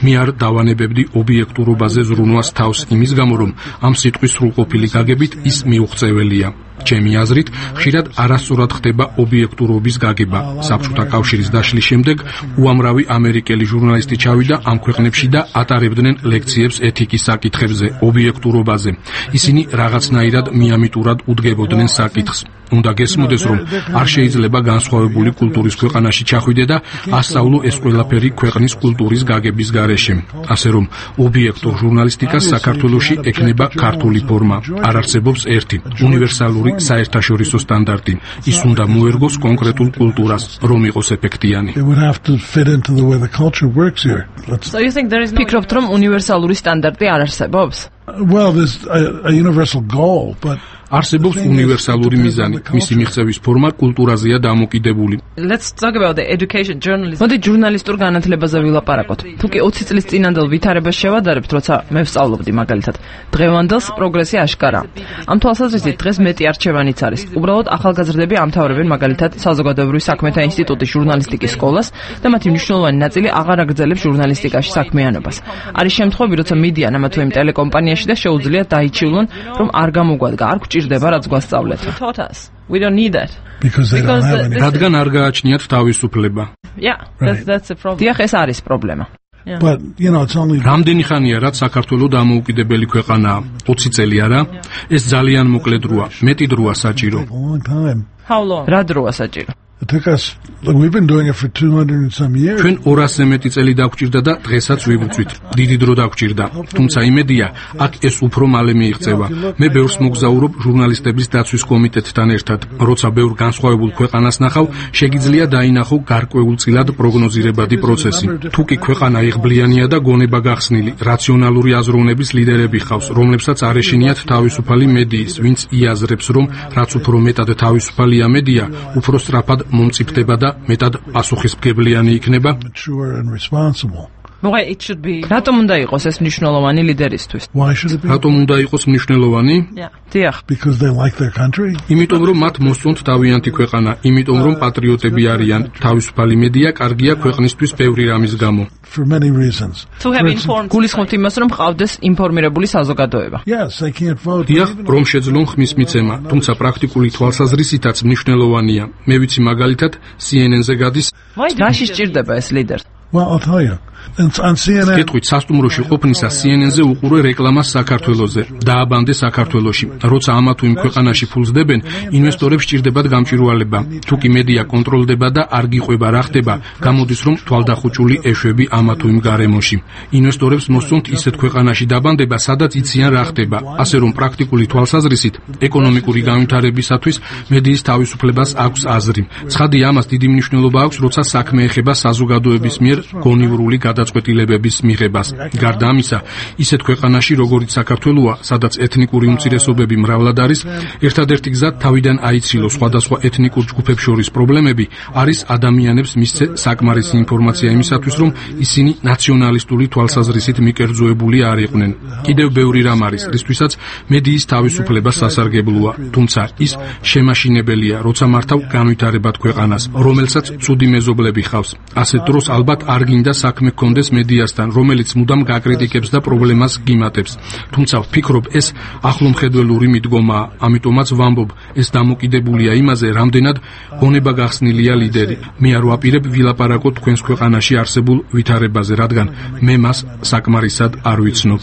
მე არ დავანებებდი ობიექტურობაზე ზრუნვას თავს იმის გამო, რომ ამ სიტყვის სრულყოფილი გაგებით ის მიუღწეველია. ჩემი აზრით, ხშირად არასწორად ხდება ობიექტურობის გაგება. საბჭოთა კავშირის დაშლის შემდეგ უამრავი ამერიკელი ჟურნალისტი ჩავიდა ამ ქვეყნებში და ატარებდნენ ლექციებს ეთიკის საკითხებზე, ობიექტურობაზე. ისინი რაღაცნაირად მიამიტურად უდგებოდნენ საკითხს. უნდა გესმოდეს, რომ არ შეიძლება განსხვავებული კულტურის ქვეყანაში ჩახვიდე და ასწავლო ეს ყველაფერი ქვეყნის კულტურის გაგების გარეშე. ასე რომ, ობიექტურ ჟურნალისტიკას საქართველოში ექნება ქართული ფორმა. არ არსებობს ერთი უნივერსალური საერთაშორისო სტანდარტი. ის უნდა მოერგოს კონკრეტულ კულტურას, რომ იყოს ეფექტიანი. ფიქრობთ, რომ უნივერსალური სტანდარტი არ არსებობს? Well, there's a universal goal, but არსებობს უნივერსალური მიზანი, მისი მიღწევის ფორმა კულტურაზეა დამოკიდებული. Let's talk about the education journalism. მოდი ჟურნალისტურ განათლებაზე ვილაპარაკოთ. თუკი 20 წლის წინანდელ ვითარებას შევადარებთ, როცა მე ვსწავლობდი მაგალითად, დღევანდელს პროგრესი აშკარაა. ამ თვალსაზრისით დღეს მეტი არჩევანიც არის. უბრალოდ ახალგაზრდები ამთავრებენ მაგალითად საზოგადოებრივი საქმეთა ინსტიტუტის ჟურნალისტიკის სკოლას და მათი მნიშვნელოვანი ნაწილი აღარ აგრძელებს ჟურნალისტიკაში საქმიანობას. არის შემთხვევები, როცა მიდიან ამა თუ იმ ტელეკომპანიაში და შეუძლიათ დაიჩივლონ, რომ არ გამოგვადგა, არ გვჭირდება რაც გვასწავლეთ. We don't need that. რადგან არ გააჩნიათ თავისუფლება. Yeah, that's a problem. დიახ, ეს არის პრობლემა. But it's only რამდენი ხანია რაც საქართველოს დამოუკიდებელი ქვეყანაა? 20 წელი არა? ეს ძალიან მოკლე დროა, მეტი დროა საჭირო. How long? რა დროა საჭირო? It took us, look, we've been doing it for 200 and some years. ჩვენ 200-ზე მეტი წელი დაგვჭირდა და დღესაც ვიბრძვით. დიდი დრო დაგვჭირდა. თუმცა იმედია, აქ ეს უფრო მალე მიიღწევა. მე ბევრს მოგზაურობ ჟურნალისტების დაცვის კომიტეტთან ერთად. როცა ბევრ განსხვავებულ ქვეყანას ნახავ, შეგიძლია დაინახო გარკვეულწილად პროგნოზირებადი პროცესი. თუკი ქვეყანა იღბლიანია და გონება გახსნილი, რაციონალური აზროვნების ლიდერები ხავს, რომლებსაც არ ეშინიათ თავისუფალი მედიის, ვინც იაზრებს, რომ რაც უფრო მეტად თავისუფალია მედია, უფრო სწრაფად მომწიფდება და მეტად პასუხისმგებლიანი იქნება. რატომ უნდა იყოს ეს მნიშვნელოვანი ლიდერისთვის? რატომ უნდა იყოს მნიშვნელოვანი? დიახ. იმიტომ რომ მათ მოსწონთ თავიანთი ქვეყანა, იმიტომ რომ პატრიოტები არიან, თავისუფალი მედია კარგია ქვეყნისთვის ბევრი რამის გამო. გულისხმობთ იმას, რომ ყავდეს ინფორმირებული საზოგადოება. დიახ, რომ შეძლონ ხმის მიცემა, თუმცა პრაქტიკული თვალსაზრისითაც მნიშვნელოვანია. მე ვიცი მაგალითად CNN-ზე გადის. რაში სჭირდება ეს ლიდერი? Well, I'll tell you. კითხვით სასტუმროში ყოფნისა CNN-ზე უყურე რეკლამას საქართველოზე. დააბანდე საქართველოში. როცა ამა თუ იმ ქვეყანაში ფულს დებენ, ინვესტორებს სჭირდებათ გამჭვირვალება. თუკი მედია კონტროლდება და არ გიყვება რა ხდება, გამოდის რომ თვალდახუჭული ეშვები ამა თუ იმ გარემოში. ინვესტორებს მოსწონთ ისეთ ქვეყანაში დაბანდება, სადაც იციან რა ხდება. ასე რომ პრაქტიკული თვალსაზრისით, ეკონომიკური განვითარებისათვის მედიის თავისუფლებას აქვს აზრი. ცხადია, ამას დიდი მნიშვნელობა აქვს, როცა საქმე ეხება საზოგადოების მიერ გონივრული გადაწყვეტილებების მიღებას. გარდა ამისა, ისეთ ქვეყანაში, როგორიც საქართველოა, სადაც ეთნიკური უმცირესობები მრავლად არის, ერთადერთი გზა თავიდან აიცილოს სხვადასხვა ეთნიკურ ჯგუფებს შორის პრობლემები, არის ადამიანებს მისცე საკმარისი ინფორმაცია იმისათვის, რომ ისინი ნაციონალისტური თვალსაზრისით მიკერძოებული არ იყვნენ. კიდევ ბევრი რამ არის, რისთვისაც მედიის თავისუფლება სასარგებლოა, თუმცა ის შემაშინებელია, როცა მართავ განვითარებად ქვეყანას, რომელსაც ცუდი მეზობლები ხავს. ასეთ დროს ალბათ არ გინდა საქმე გქონდეს მედიასთან, რომელიც მუდამ გაკრიტიკებს და პრობლემას გიმატებს. თუმცა ვფიქრობ, ეს ახლომხედველური მიდგომაა, ამიტომაც ვამბობ, ეს დამოკიდებულია იმაზე, რამდენად გონება გახსნილია ლიდერი. მე არ ვაპირებ ვილაპარაკოთ თქვენს ქვეყანაში არსებულ ვითარებაზე, რადგან მე მას საკმარისად არ ვიცნობ.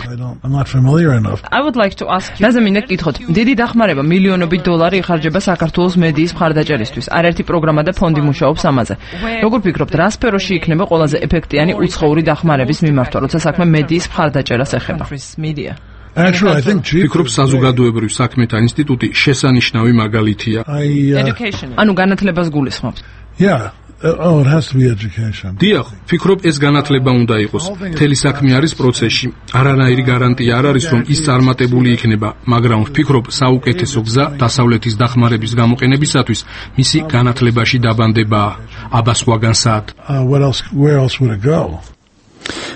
I would like to ask you. რაზე მინდა გკითხოთ, დიდი დახმარება მილიონობით დოლარი იხარჯება საქართველოს მედიის მხარდაჭერისთვის. არაერთი პროგრამა და ფონდი მუშაობს ამაზე. როგორ ფიქრობთ, რა სფეროში იქნება ყველაზე ეფექტიანი უცხოური დახმარების მიმართვა, როცა საქმე მედიის მხარდაჭერას ეხება? Actually, I think ფიქრობ საზოგადოებრივ საქმეთა ინსტიტუტი შესანიშნავი მაგალითია. ანუ განათლებას გულისხმობთ? Yeah. Oh, it has to be education. დიახ, ფიქრობ ეს განათლება უნდა იყოს. მთელი საქმე არის პროცესში. არანაირი გარანტია არ არის, რომ ის წარმატებული იქნება, მაგრამ ვფიქრობ, საუკეთესო გზა დასავლეთის დახმარების გამოყენებისათვის მისი განათლებაში დაბანდებაა. აბა სხვაგან საათ. Where else would it go?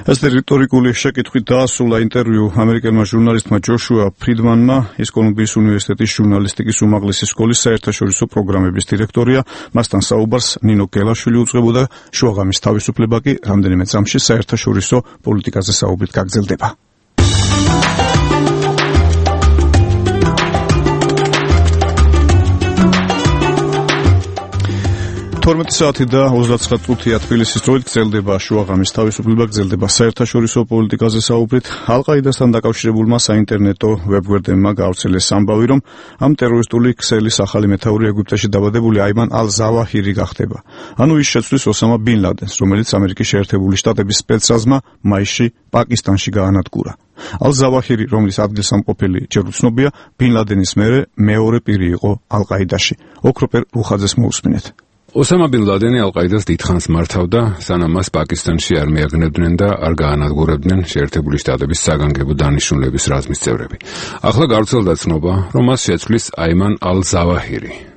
ეს რიტორიკული შეკითხვით დაასრულა ინტერვიუ ამერიკელმა ჟურნალისტმა ჯოშუა ფრიდმანმა, ის კოლუმბიის უნივერსიტეტის ჟურნალისტიკის უმაღლესი სკოლის საერთაშორისო პროგრამების დირექტორია. მასთან საუბარს ნინო გელაშვილი უძღვებოდა. შუაღამის თავისუფლება კი რამდენიმე წამში საერთაშორისო პოლიტიკაზე საუბრით გაგრძელდება. 12 საათი და 29 წუთია თბილისის დროით გრძელდება შუაღამის თავისუფლება, გრძელდება საერთაშორისო პოლიტიკაზე საუბრით. ალ-ყაიდასთან დაკავშირებულმა საინტერნეტო ვებგვერდებმა გავრცელეს ამბავი, რომ ამ ტერორისტული ქსელის ახალი მეთაური ეგვიპტეში დაბადებული აიმან ალ-ზავაჰირი გახდება. ანუ ის შეცვლის ოსამა ბინ ლადენს, რომელიც ამერიკის შეერთებული შტატების სპეცრაზმა მაისში პაკისტანში გაანადგურა. ალ-ზავაჰირი, რომლის ადგილსამყოფელი ჯერ უცნობია, ბინ ლადენის მერე მეორე პირი იყო ალ-ყაიდაში. ოქროპერ რუხაძეს მოусმინეთ. ოსამა ბინ ლადენი ალ-ყაიდას დიდხანს მართავდა, სანამ მას პაკისტანში არ მიაგნებდნენ და არ გაანადგურებდნენ შეერთებული შტატების საგანგებო დანიშნულების რაზმის წევრები. ახლა გავრცელდა ცნობა, რომ მას შეცვლის აიმან ალ-ზავაჰირი.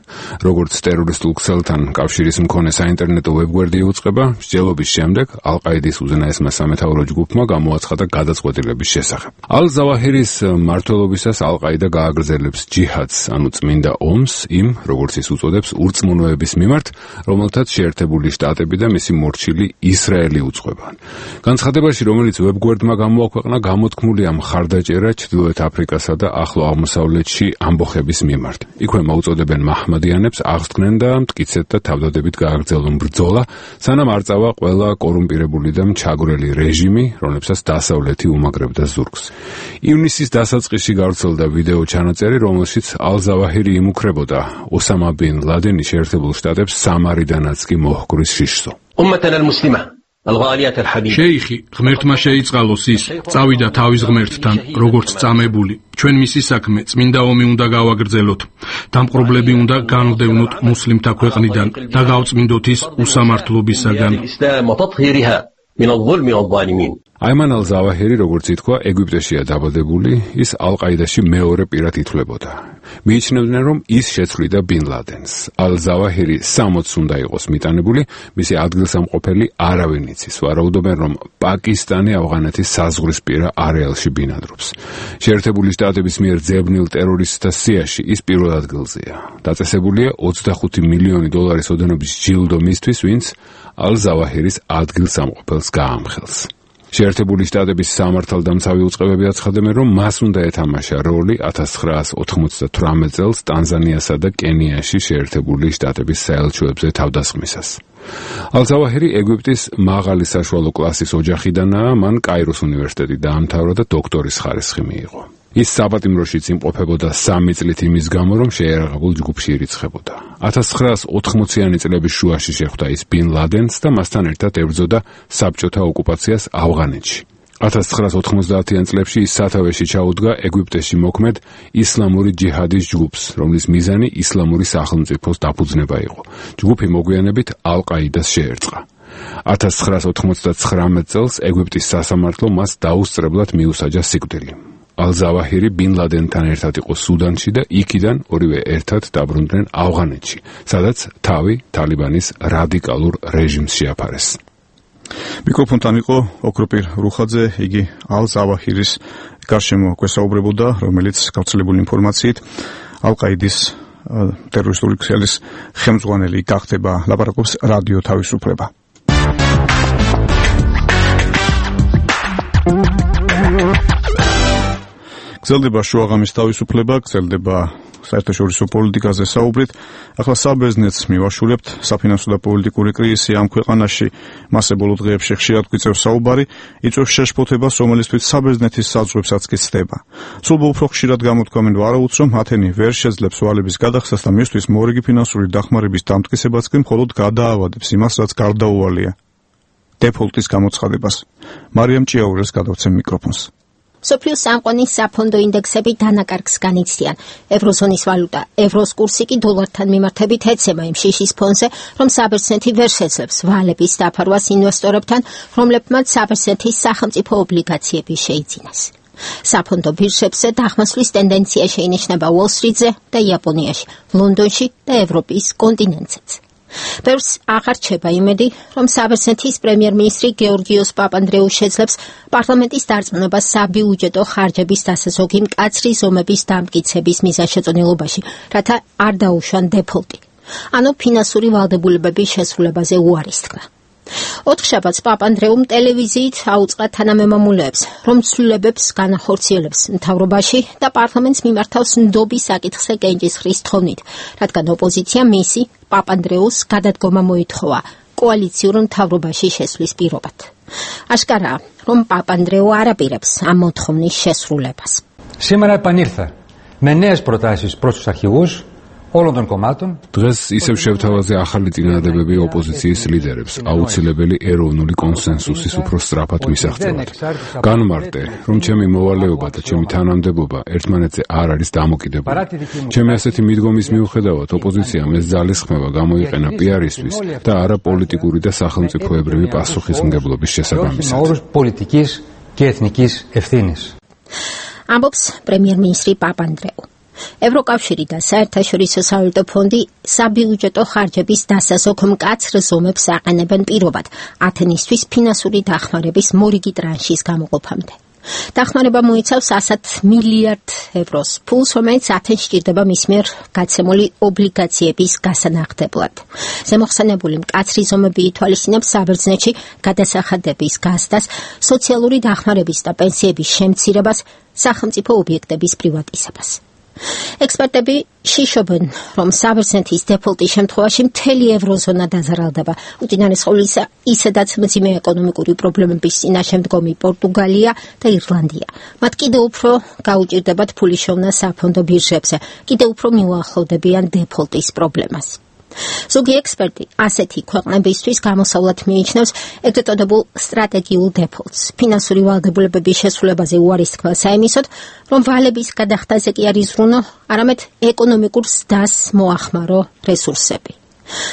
როგორც ტერორისტულ ქსელთან კავშირის მქონე საინტერნეტო ვებგვერდი იუწყება, მსჯელობის შემდეგ ალ-ყაიდის უზენაესმა სამეთაურო ჯგუფმა გამოაცხადა გადაწყვეტილების შესახებ. ალ-ზავაჰირის მმართველობისას ალ-ყაიდა გააგრძელებს ჯიჰადს, ანუ წმინდა ომს იმ, როგორც ის უწოდებს, ურწმუნოების მიმართ, რომელთაც შეერთებული შტატები და მისი მორჩილი ისრაელი უწყება. განცხადებაში, რომელიც ვებგვერდმა გამოაქვეყნა, გამოთქმულია მხარდაჭერა ჩრდილოეთ აფრიკასა და ახლო აღმოსავლეთში ამბოხების მიმართ. იქვე მოუწოდებენ მაჰმადიანებს აღსდგნენ და მტკიცედ და თავდადებით გააგრძელონ ბრძოლა, სანამ არ წავა ყველა კორუმპირებული და მჩაგვრელი რეჟიმი, რომლებსაც დასავლეთი უმაგრებდა ზურგს. ივნისის დასაწყისში გავრცელდა ვიდეო ჩანაწერი, რომელშიც ალ-ზავაჰირი იმუქრებოდა ოსამა ბინ ლადენი შეერთებულ შტატებს სამარიდანაც კი მოჰკვრის შიშსო. შეიხი, ღმერთმა შეიწყალოს ის, წავიდა თავის ღმერთთან, როგორც წამებული. ჩვენ მისი საქმე, წმინდა ომი უნდა გავაგრძელოთ. დამპყრობლები უნდა განვდევნოთ მუსლიმთა ქვეყნიდან და გავწმინდოთ ის უსამართლობისაგან. აიმან ალ-ზავაჰირი, როგორც ითქვა, ეგვიპტეშია დაბადებული, ის ალ-ყაიდაში მეორე პირად ითვლებოდა. მიიჩნევდნენ, რომ ის შეცვლიდა ბინ ლადენს. ალ-ზავაჰირი 60 უნდა იყოს მიტანებული, მისი ადგილსამყოფელი არავინ იცის. ვარაუდობენ, რომ პაკისტანი ავღანეთის საზღვრისპირა არეალში ბინადრობს. შეერთებული შტატების მიერ ძებნილ ტერორისტთა სიაში ის პირველ ადგილზეა. დაწესებულია 25 მილიონი დოლარის ოდენობის ჯილდო მისთვის, ვინც ალ-ზავაჰირის ადგილსამყოფელს გაამხელს. შეერთებული შტატების სამართალდამცავი უწყებები აცხადებენ, რომ მას უნდა ეთამაშა როლი 1998 წელს ტანზანიასა და კენიაში შეერთებული შტატების საელჩოებზე თავდასხმისას. ალ-ზავაჰირი ეგვიპტის მაღალი საშუალო კლასის ოჯახიდანაა, მან კაიროს უნივერსიტეტი დაამთავრა და დოქტორის ხარისხი მიიღო. ის საპატიმროშიც იმყოფებოდა 3 წლით იმის გამო, რომ შეიარაღებულ ჯგუფში ირიცხებოდა. 1980-იანი წლების შუაში შეხვდა ის ბინ ლადენს და მასთან ერთად ებრძოდა საბჭოთა ოკუპაციას ავღანეთში. 1990-იან წლებში ის სათავეში ჩაუდგა ეგვიპტეში მოქმედ ისლამური ჯიჰადის ჯგუფს, რომლის მიზანი ისლამური სახელმწიფოს დაფუძნება იყო. ჯგუფი მოგვიანებით ალ-ყაიდას შეერწყა. 1999 წელს ეგვიპტის სასამართლომ მას დაუსწრებლად მიუსაჯა სიკვდილი. ალ-ზავაჰირი ბინ ლადენთან ერთად იყო სუდანში და იქიდან ორივე ერთად დაბრუნდნენ ავღანეთში, სადაც თავი თალიბანის რადიკალურ რეჟიმს შეაფარეს. მიკროფონთან იყო ოქროპერ რუხაძე, იგი ალ-ზავაჰირის გარშემო გვესაუბრებოდა, რომელიც გავრცელებული ინფორმაციით ალ-ყაიდის ტერორისტული ქსელის ხელმძღვანელი გახდება. ლაპარაკობს რადიო თავისუფლება. გრძელდება შუაღამის თავისუფლება, გრძელდება საერთაშორისო პოლიტიკაზე საუბრით. ახლა საბერძნეთს მივაშურებთ. საფინანსო და პოლიტიკური კრიზისი ამ ქვეყანაში მასე ბოლო დღეებში ხშირად გვიწევს საუბარი, იწვევს შეშფოთებას, რომელისთვის საბერძნეთის საზღვრებსაც კი ცდება. სულ უფრო ხშირად გამოთქვამენ ვარაუდს, რომ ათენი ვერ შეძლებს ვალების გადახსნას და მისთვის მორიგი ფინანსური დახმარების დამტკიცებაც კი მხოლოდ გადაავადებს იმას, რაც გარდაუვალია. დეფოლტის გამოცხადებას. მარიამ ჭიაურეს გადავცემ მიკროფონს. სოფლიოს სამყაროს საფონდო ინდექსები დანაკარგს განიცდიან. ევროზონის ვალუტა ევროს კურსი კი დოლართან მიმართებით ეცემა იმ შიშის ფონზე, რომ საბერძნეთი ვერ შეძლებს ვალების დაფარვას ინვესტორებთან, რომლებმაც საბერძნეთის სახელმწიფო ობლიგაციები შეიძინეს. საფონდო ბირჟებზე დახმასვლის ტენდენცია შეინიშნება უოლ-სტრიტზე და იაპონიაში, ლონდონში და ევროპის კონტინენტზეც. ბევრს აღარ რჩება იმედი, რომ საბერძნეთის პრემიერ-მინისტრი გეორგიოს პაპანდრეუ შეძლებს პარლამენტის დარწმუნებას საბიუჯეტო ხარჯების დასაზოგი მკაცრი ზომების დამტკიცების მიზანშეწონილობაში, რათა არ დაუშვან დეფოლტი. ანუ ფინანსური ვალდებულებების შესრულებაზე უარის თქმა. ოთხშაბათს პაპანდრეუმ ტელევიზიით აუწყა თანამემამულეებს, რომ ცვლილებებს განახორციელებს მთავრობაში და პარლამენტს მიმართავს ნდობის საკითხზე კენჭისყრის თხოვნით, რადგან ოპოზიცია მისი პაპანდრეუს გადადგომა მოითხოვა კოალიციურ მთავრობაში შესვლის პირობად. აშკარაა, რომ პაპანდრეუ არ აპირებს ამ მოთხოვნის შესრულებას. Σήμερα επανήλθα με νέες προτάσεις προς τους αρχηγούς όλων των κομμάτων. დღეს ისევ შევთავაზე ახალი წინადადებები ოპოზიციის ლიდერებს, აუცილებელი ეროვნული კონსენსუსის უფრო სწრაფად მისაღწევად. განმარტე, რომ ჩემი მოვალეობა და ჩემი თანამდებობა ერთმანეთზე არ არის დამოკიდებული. ჩემი ასეთი მიდგომის მიუხედავად, ოპოზიციამ ეს ძალისხმევა გამოიყენა პიარისთვის და არა პოლიტიკური და სახელმწიფოებრივი პასუხისმგებლობის შესაბამისად. პოლიტიკის και εθνικής ευθύνης. ამბობს პრემიერ-მინისტრი პაპანდრეუ. ევროკავშირი და საერთაშორისო სავალუტო ფონდი საბიუჯეტო ხარჯების დასაზოგ მკაცრ ზომებს აყენებენ პირობად ათენისთვის ფინანსური დახმარების მორიგი ტრანშის გამოყოფამდე. დახმარება მოიცავს 100 მილიარდ ევროს ფულს, რომელიც ათენს სჭირდება მის მიერ გაცემული ობლიგაციების გასანახდებლად. ზემოხსენებული მკაცრი ზომები ითვალისწინებს საბერძნეთში გადასახადების გაზრდას, სოციალური დახმარების და პენსიების შემცირებას, სახელმწიფო ობიექტების პრივატიზებას. ექსპერტები შიშობენ, რომ საბერძნეთის დეფოლტის შემთხვევაში მთელი ევროზონა დაზარალდება. უწინარეს ყოვლისა, ისედაც მძიმე ეკონომიკური პრობლემების წინაშე მდგომი პორტუგალია და ირლანდია. მათ კიდევ უფრო გაუჭირდებათ ფულის შოვნა საფონდო ბირჟებზე, კიდევ უფრო მიუახლოვდებიან დეფოლტის პრობლემას. ზოგი ექსპერტი ასეთი ქვეყნებისთვის გამოსავლად მიიჩნევს ეგრეთ წოდებულ სტრატეგიულ დეფოლტს. ფინანსური ვალდებულებების შესრულებაზე უარის თქმა საიმისოდ, რომ ვალების გადახდაზე კი არ იზრუნო, არამედ ეკონომიკურ ზრდას მოახმარო რესურსები.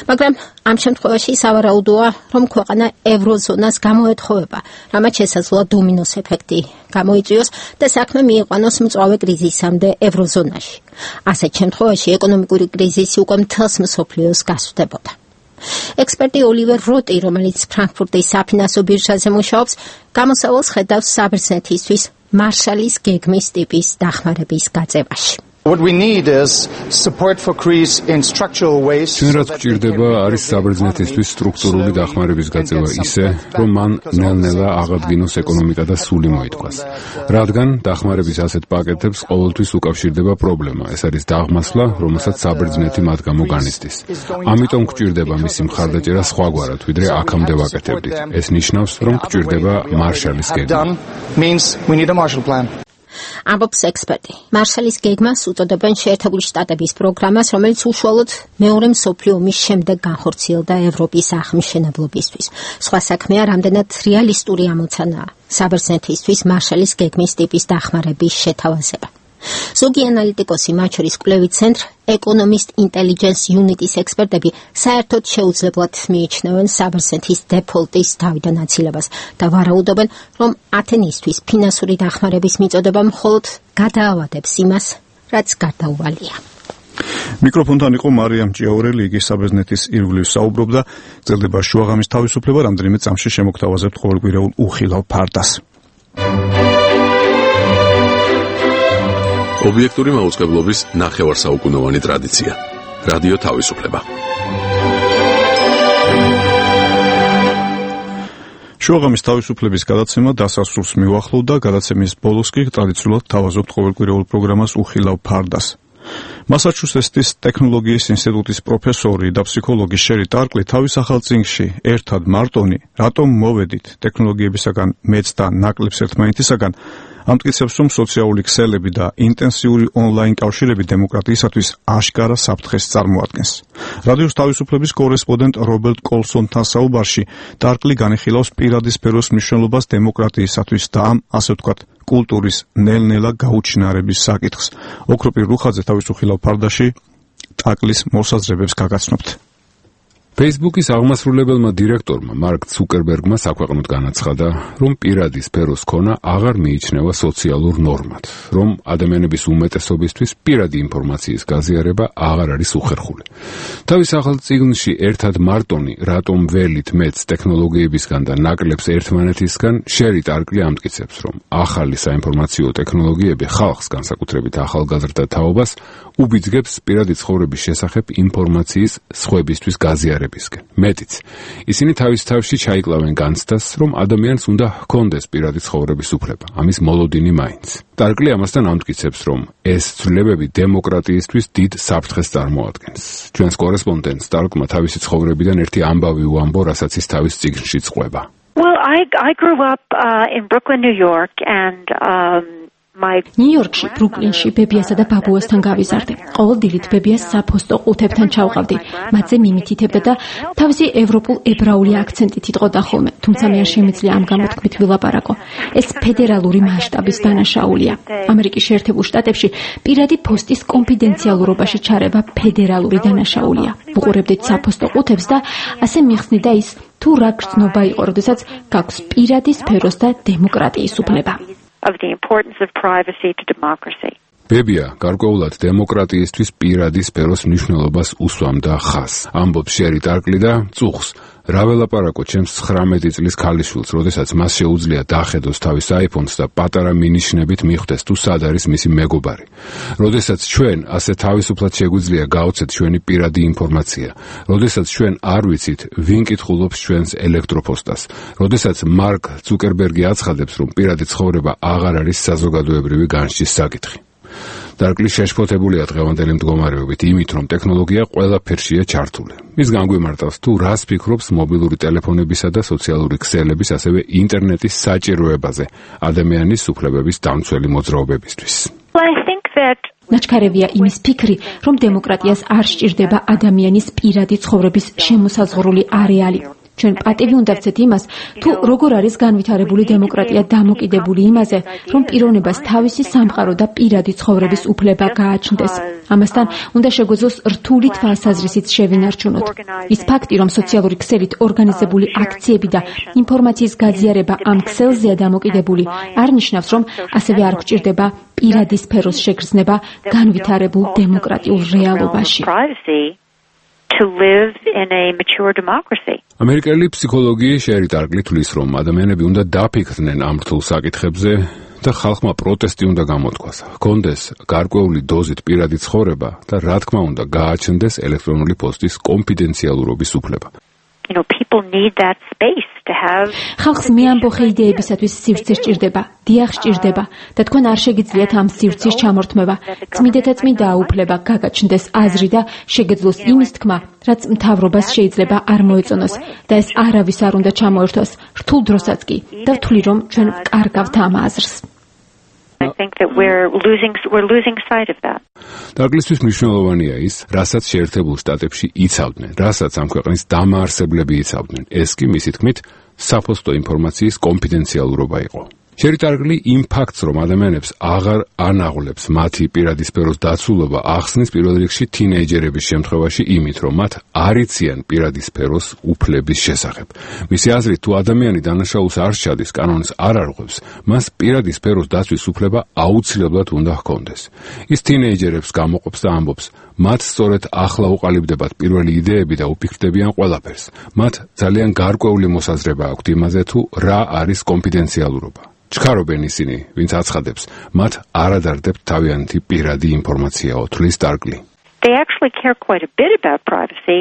მაგრამ ამ შემთხვევაში სავარაუდოა, რომ ქვეყანა ევროზონას გამოეთხოვება, რამაც შესაძლოა დომინოს ეფექტი გამოიწვიოს და საქმე მიიყვანოს მწვავე კრიზისამდე ევროზონაში. ასეთ შემთხვევაში ეკონომიკური კრიზისი უკვე მთელს მსოფლიოს გასვდებოდა. ექსპერტი ოლივერ როტი, რომელიც ფრანკფურტის საფინანსო ბირჟაზე მუშაობს, გამოსავალს ხედავს საბერძნეთისთვის მარშალის გეგმის ტიპის დახმარების გაწევაში. What we need is support for Greece in structural ways. რაც გვჭირდება არის საბერძნეთისთვის სტრუქტურული დახმარების გაწევა ისე, რომ მან ნელ-ნელა აღადგინოს ეკონომიკა და სული მოითქვას. რადგან დახმარების ასეთ პაკეტებს ყოველთვის უკავშირდება პრობლემა, ეს არის დაღმასვლა, რომელსაც საბერძნეთი მათ გამო განიცდის. ამიტომ გვჭირდება მისი მხარდაჭერა სხვაგვარად, ვიდრე აქამდე ვაკეთებდით. ეს ნიშნავს, რომ გვჭირდება მარშალის გეგმა. ამბობს ექსპერტი. მარშალის გეგმას უწოდებენ შეერთებული შტატების პროგრამას, რომელიც უშუალოდ მეორე მსოფლიო ომის შემდეგ განხორციელდა ევროპის აღმშენებლობისთვის. სხვა საქმეა, რამდენად რეალისტური ამოცანაა საბერძნეთისთვის მარშალის გეგმის ტიპის დახმარების შეთავაზება. ზოგი ანალიტიკოსი, მათ შორის კვლევით ცენტრ Economist Intelligence Unit-ის ექსპერტები საერთოდ შეუძლებლად მიიჩნევენ საბერძნეთის დეფოლტის თავიდან აცილებას და ვარაუდობენ, რომ ათენისთვის ფინანსური დახმარების მიწოდება მხოლოდ გადაავადებს იმას, რაც გარდაუვალია. მიკროფონთან იყო მარიამ ჭიაურელი, იგი საბერძნეთის ირგვლივ საუბრობდა. გრძელდება შუაღამის თავისუფლება, რამდენიმე წამში შემოგთავაზებთ ყოველკვირეულ უხილავ ფარდას. ობიექტური მაუწყებლობის ნახევარსაუკუნოვანი ტრადიცია. რადიო თავისუფლება. შუაღამის თავისუფლების გადაცემა დასასრულს მიუახლოვდა, გადაცემის ბოლოს კი ტრადიციულად თავაზობთ ყოველკვირეულ პროგრამას უხილავ ფარდას. მასაჩუსეტსის ტექნოლოგიის ინსტიტუტის პროფესორი და ფსიქოლოგი შერი ტარკლი თავის ახალ წიგნში ერთად მარტონი, რატომ მოვედით ტექნოლოგიებისაგან მეც და ნაკლებს ერთმანეთისაგან ამტკიცებს, რომ სოციალური ქსელები და ინტენსიური ონლაინ კავშირები დემოკრატიისათვის აშკარა საფრთხეს წარმოადგენს. რადიოს თავისუფლების კორესპონდენტ რობერტ კოლსონთან საუბარში ტარკლი განიხილავს პირადი სფეროს მნიშვნელობას დემოკრატიისათვის და ამ, ასე ვთქვათ, კულტურის ნელ-ნელა გაუჩინარების საკითხს. ოქროპირ რუხაძე თავის უხილავ ფარდაში ტაკლის მოსაზრებებს გაგაცნობთ. Facebook-ის აღმასრულებელმა დირექტორმა მარკ ცუკერბერგმა საქვეყნოდ განაცხადა, რომ პირადი სფეროს ქონა აღარ მიიჩნევა სოციალურ ნორმად, რომ ადამიანების უმეტესობისთვის პირადი ინფორმაციის გაზიარება აღარ არის უხერხული. თავის ახალ წიგნში ერთად მარტონი, რატომ ველით მეც ტექნოლოგიებისგან და ნაკლებს ერთმანეთისგან, შერი ტარკლი ამტკიცებს, რომ ახალი საინფორმაციო ტექნოლოგიები ხალხს, განსაკუთრებით ახალგაზრდა თაობას, უბიძგებს პირადი ცხოვრების შესახებ ინფორმაციის სხვებისთვის გაზიარებას განვითარებისკენ. მეტიც, ისინი თავის თავში ჩაიკლავენ განცდას, რომ ადამიანს უნდა ჰქონდეს პირადი ცხოვრების უფლება, ამის მოლოდინი მაინც. ტარკლი ამასთან ამტკიცებს, რომ ეს ცვლილებები დემოკრატიისთვის დიდ საფრთხეს წარმოადგენს. ჩვენს კორესპონდენტს ტარკმა თავისი ცხოვრებიდან ერთი ამბავი უამბო, რასაც ის თავის წიგნში წყვება. Well, I grew up in Brooklyn, New York, and ნიუ-იორკში, ბრუკლინში ბებიასა და ბაბუასთან გავიზარდე. ყოველ დილით ბებიას საფოსტო ყუთებთან ჩავყავდი, მათზე მიმითითებდა და თავისი ევროპულ ებრაული აქცენტით იტყოდა ხოლმე, თუმცა მე არ შემიძლია ამ გამოთქმით ვილაპარაკო. ეს ფედერალური მასშტაბის დანაშაულია. ამერიკის შეერთებულ შტატებში პირადი პოსტის კონფიდენციალურობაში ჩარევა ფედერალური დანაშაულია. ვუყურებდით საფოსტო ყუთებს და ასე მიხსნიდა ის, თუ რა გრძნობა იყო, როდესაც გაქვს პირადი სფეროს და დემოკრატიის უფლება. Of the importance of privacy to democracy. ბებია გარკვეულად დემოკრატიისთვის პირადი სფეროს მნიშვნელობას უსვამდა ხაზს. ამბობს შერი ტარკლი და წუხს. რა ველაპარაკო ჩემს 19 წლის ქალიშვილს, როდესაც მას შეუძლია დახედოს თავის iPhone-ს და პატარა მინიშნებით მიხვდეს თუ სად არის მისი მეგობარი. როდესაც ჩვენ ასე თავისუფლად შეგვიძლია გავცეთ ჩვენი პირადი ინფორმაცია, როდესაც ჩვენ არ ვიცით, ვინ კითხულობს ჩვენს ელექტროპოსტას, როდესაც მარკ ცუკერბერგი აცხადებს, რომ პირადი ცხოვრება აღარ არის საზოგადოებრივი განსჯის საკითხი. ტარკლი შეშფოთებულია დღევანდელი მდგომარეობით იმით, რომ ტექნოლოგია ყველაფერშია ჩართული. ის განგვიმარტავს, თუ რას ფიქრობს მობილური ტელეფონებისა და სოციალური ქსელების, ასევე ინტერნეტის საჭიროებაზე ადამიანის უფლებების დამცველი მოძრაობებისთვის. ნაჩქარევია იმის ფიქრი, რომ დემოკრატიას არ სჭირდება ადამიანის პირადი ცხოვრების შემოსაზღვრული არეალი. ჩვენ პატივი უნდა ვცეთ იმას, თუ როგორ არის განვითარებული დემოკრატია დამოკიდებული იმაზე, რომ პიროვნებას თავისი სამყარო და პირადი ცხოვრების უფლება გააჩნდეს. ამასთან უნდა შეგვეძლოს რთული თვალსაზრისით შევინარჩუნოთ. ის ფაქტი, რომ სოციალური ქსელით ორგანიზებული აქციები და ინფორმაციის გაზიარება ამ ქსელზეა დამოკიდებული, არ ნიშნავს, რომ ასევე არ გვჭირდება პირადი სფეროს შეგრძნება განვითარებულ დემოკრატიულ რეალობაში. To live in a mature democracy. ამერიკელი ფსიქოლოგი შერი ტარკლი თვლის, რომ ადამიანები უნდა დაფიქრდნენ ამ რთულ საკითხებზე და ხალხმა პროტესტი უნდა გამოთქვას. ჰქონდეს გარკვეული დოზით პირადი ცხოვრება და რა თქმა უნდა გააჩნდეს ელექტრონული პოსტის კონფიდენციალურობის უფლება. People need that space to have. ხალხს მეამბოხე იდეებისათვის სივრცე სჭირდება, დიახ სჭირდება და თქვენ არ შეგიძლიათ ამ სივრცის ჩამორთმევა. წმიდათა წმიდა უფლება გაგაჩნდეს აზრი და შეგეძლოს იმის თქმა, რაც მთავრობას შეიძლება არ მოეწონოს და ეს არავის არ უნდა ჩამოერთოს, რთულ დროსაც კი და ვთვლი, რომ ჩვენ ვკარგავთ ამ აზრს. I think that we're losing sight of that. ტარკლისთვის მნიშვნელოვანია ის, რასაც შეერთებულ შტატებში იცავდნენ, რასაც ამ ქვეყნის დამაარსებლები იცავდნენ. ეს კი მისი თქმით, საფოსტო ინფორმაციის კონფიდენციალურობა იყო. შერი ტარკლი იმ ფაქტს, რომ ადამიანებს აღარ ანაღლებს მათი პირადი სფეროს დაცულობა, ახსნის პირველ რიგში თინეიჯერების შემთხვევაში იმით, რომ მათ არ იციან პირადი სფეროს უფლების შესახებ. მისი აზრით, თუ ადამიანი დანაშაულს არ სჩადის, კანონს არ არღვევს, მას პირადი სფეროს დაცვის უფლება აუცილებლად უნდა ჰქონდეს. ის თინეიჯერებს გამოყოფს და ამბობს, მათ სწორედ ახლა უყალიბდებათ პირველი იდეები და უფიქრდებიან ყველაფერს. მათ ძალიან გარკვეული მოსაზრება აქვთ იმაზე, თუ რა არის კონფიდენციალურობა. ჩქარობენ ისინი, ვინც აცხადებს, მათ არ ადარდებთ თავიანთი პირადი ინფორმაციაო, თვლის ტარკლი. They actually care quite a bit about privacy.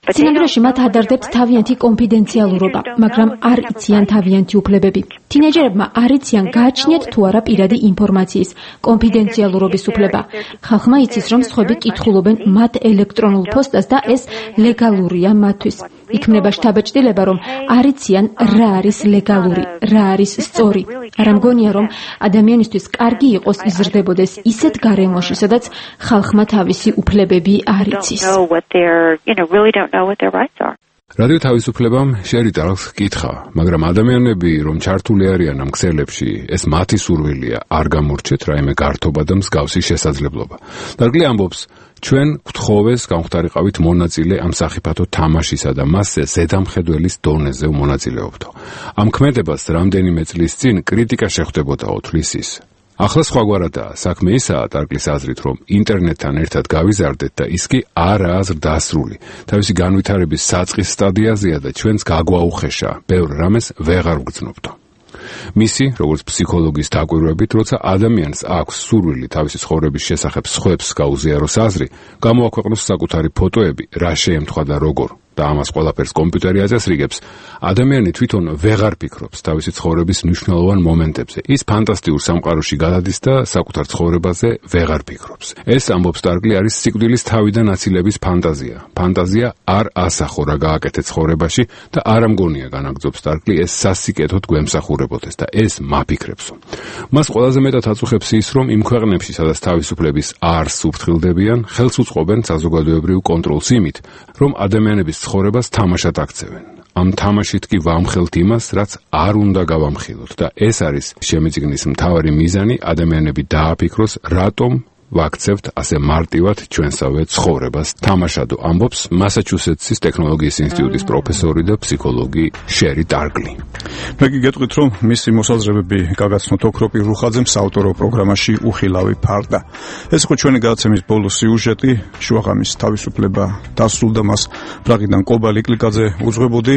სინამდვილეში მათ ადარდებთ თავიანთი კონფიდენციალურობა, მაგრამ არ იციან თავიანთი უფლებები. თინეიჯერებმა არ იციან გააჩნიათ თუ არა პირადი ინფორმაციის კონფიდენციალურობის უფლება. ხალხმა იცის, რომ სხვები კითხულობენ მათ ელექტრონულ პოსტას და ეს ლეგალურია მათთვის. იქმნება შთაბეჭდილება, რომ არ იციან რა არის ლეგალური, რა არის სწორი. არ ამგონია, რომ ადამიანისთვის კარგი იყოს იზრდებოდეს ისეთ გარემოში, სადაც ხალხმა თავისი უფლებები არ იცის. რადიო თავისუფლებამ შერი ტარკლს კითხა, მაგრამ ადამიანები, რომ ჩართული არიან ამ ქსელებში, ეს მათი სურვილია, არ გამორჩეთ რაიმე გართობა და მსგავსი შესაძლებლობა. ტარკლი ამბობს, ჩვენ გვთხოვეს გამختارიყავით მონაწილე ამ სახიფათო თამაშისა და მასზე ზედამხედველის დონეზე მონაწილეობდო. ამ ქმედებას რამდენიმე წლის წინ კრიტიკა შეხვდებოდაო, თვლის ის. ახლა სხვაგვარადაა, საქმე ისაა ტარკლის აზრით, რომ ინტერნეტთან ერთად გავიზარდეთ და ის კი არაა ზრდასრული. თავისი განვითარების საწყის სტადიაზეა და ჩვენს გაგვაუხეშა, ბევრ რამეს ვეღარ ვგრძნობდო. მისი, როგორც ფსიქოლოგის დაკვირვებით, როცა ადამიანს აქვს სურვილი თავისი ცხოვრების შესახებ სხვებს გაუზიაროს აზრი, გამოაქვეყნოს საკუთარი ფოტოები, რა შეემთხვა და როგორ. და ამას ყველაფერს კომპიუტერი აწესრიგებს, ადამიანი თვითონ ვეღარ ფიქრობს თავისი ცხოვრების მნიშვნელოვან მომენტებზე. ის ფანტასტიკურ სამყაროში გადადის და საკუთარ ცხოვრებაზე ვეღარ ფიქრობს. ეს ამბობს სტარკლი არის სიკვდილის თავიდან აცილების ფანტაზია. ფანტაზია არ ასახო რა გააკეთე ცხოვრებაში და არ ამგონია განაგრძობს სტარკლი ეს სასიკეთოდ გვემსახურებოდეს და ეს მაფიქრებსო. მას ყველაზე მეტად აწუხებს ის, რომ იმ ქვეყნებში, სადაც თავისუფლების არს უფრთხილდებიან, ხელს უწყობენ საზოგადოებრივ კონტროლს იმით, რომ ადამიანების ცხოვრებას თამაშად აქცევენ. ამ თამაშით კი ვამხელთ იმას, რაც არ უნდა გავამხილოთ და ეს არის შემეძიგნის მთავარი მიზანი, ადამიანები დააფიქროს, რატომ ვაქცევთ ასე მარტივად ჩვენსავე ცხოვრებას. თამაშადო ამბობს მასაჩუსეტსის ტექნოლოგიის ინსტიტუტის პროფესორი და ფსიქოლოგი შერი ტარკლი. მე კი გეტყვით, რომ მისი მოსაზრებები გაგაცნოთ ოქროპირ რუხაძემ საავტორო პროგრამაში უხილავი ფარდა. ეს იყო ჩვენი გადაცემის ბოლო სიუჟეტი. შუაღამის თავისუფლება დასრულდა, მას პრაღიდან კობა ლიკლიკაძე უძღვებოდი.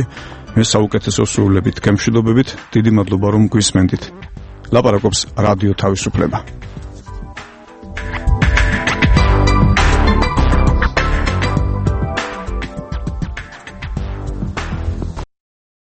მე საუკეთესო სრულებით გემშვიდობებით. დიდი მადლობა რომ გვისმენდით. ლაპარაკობს რადიო თავისუფლება.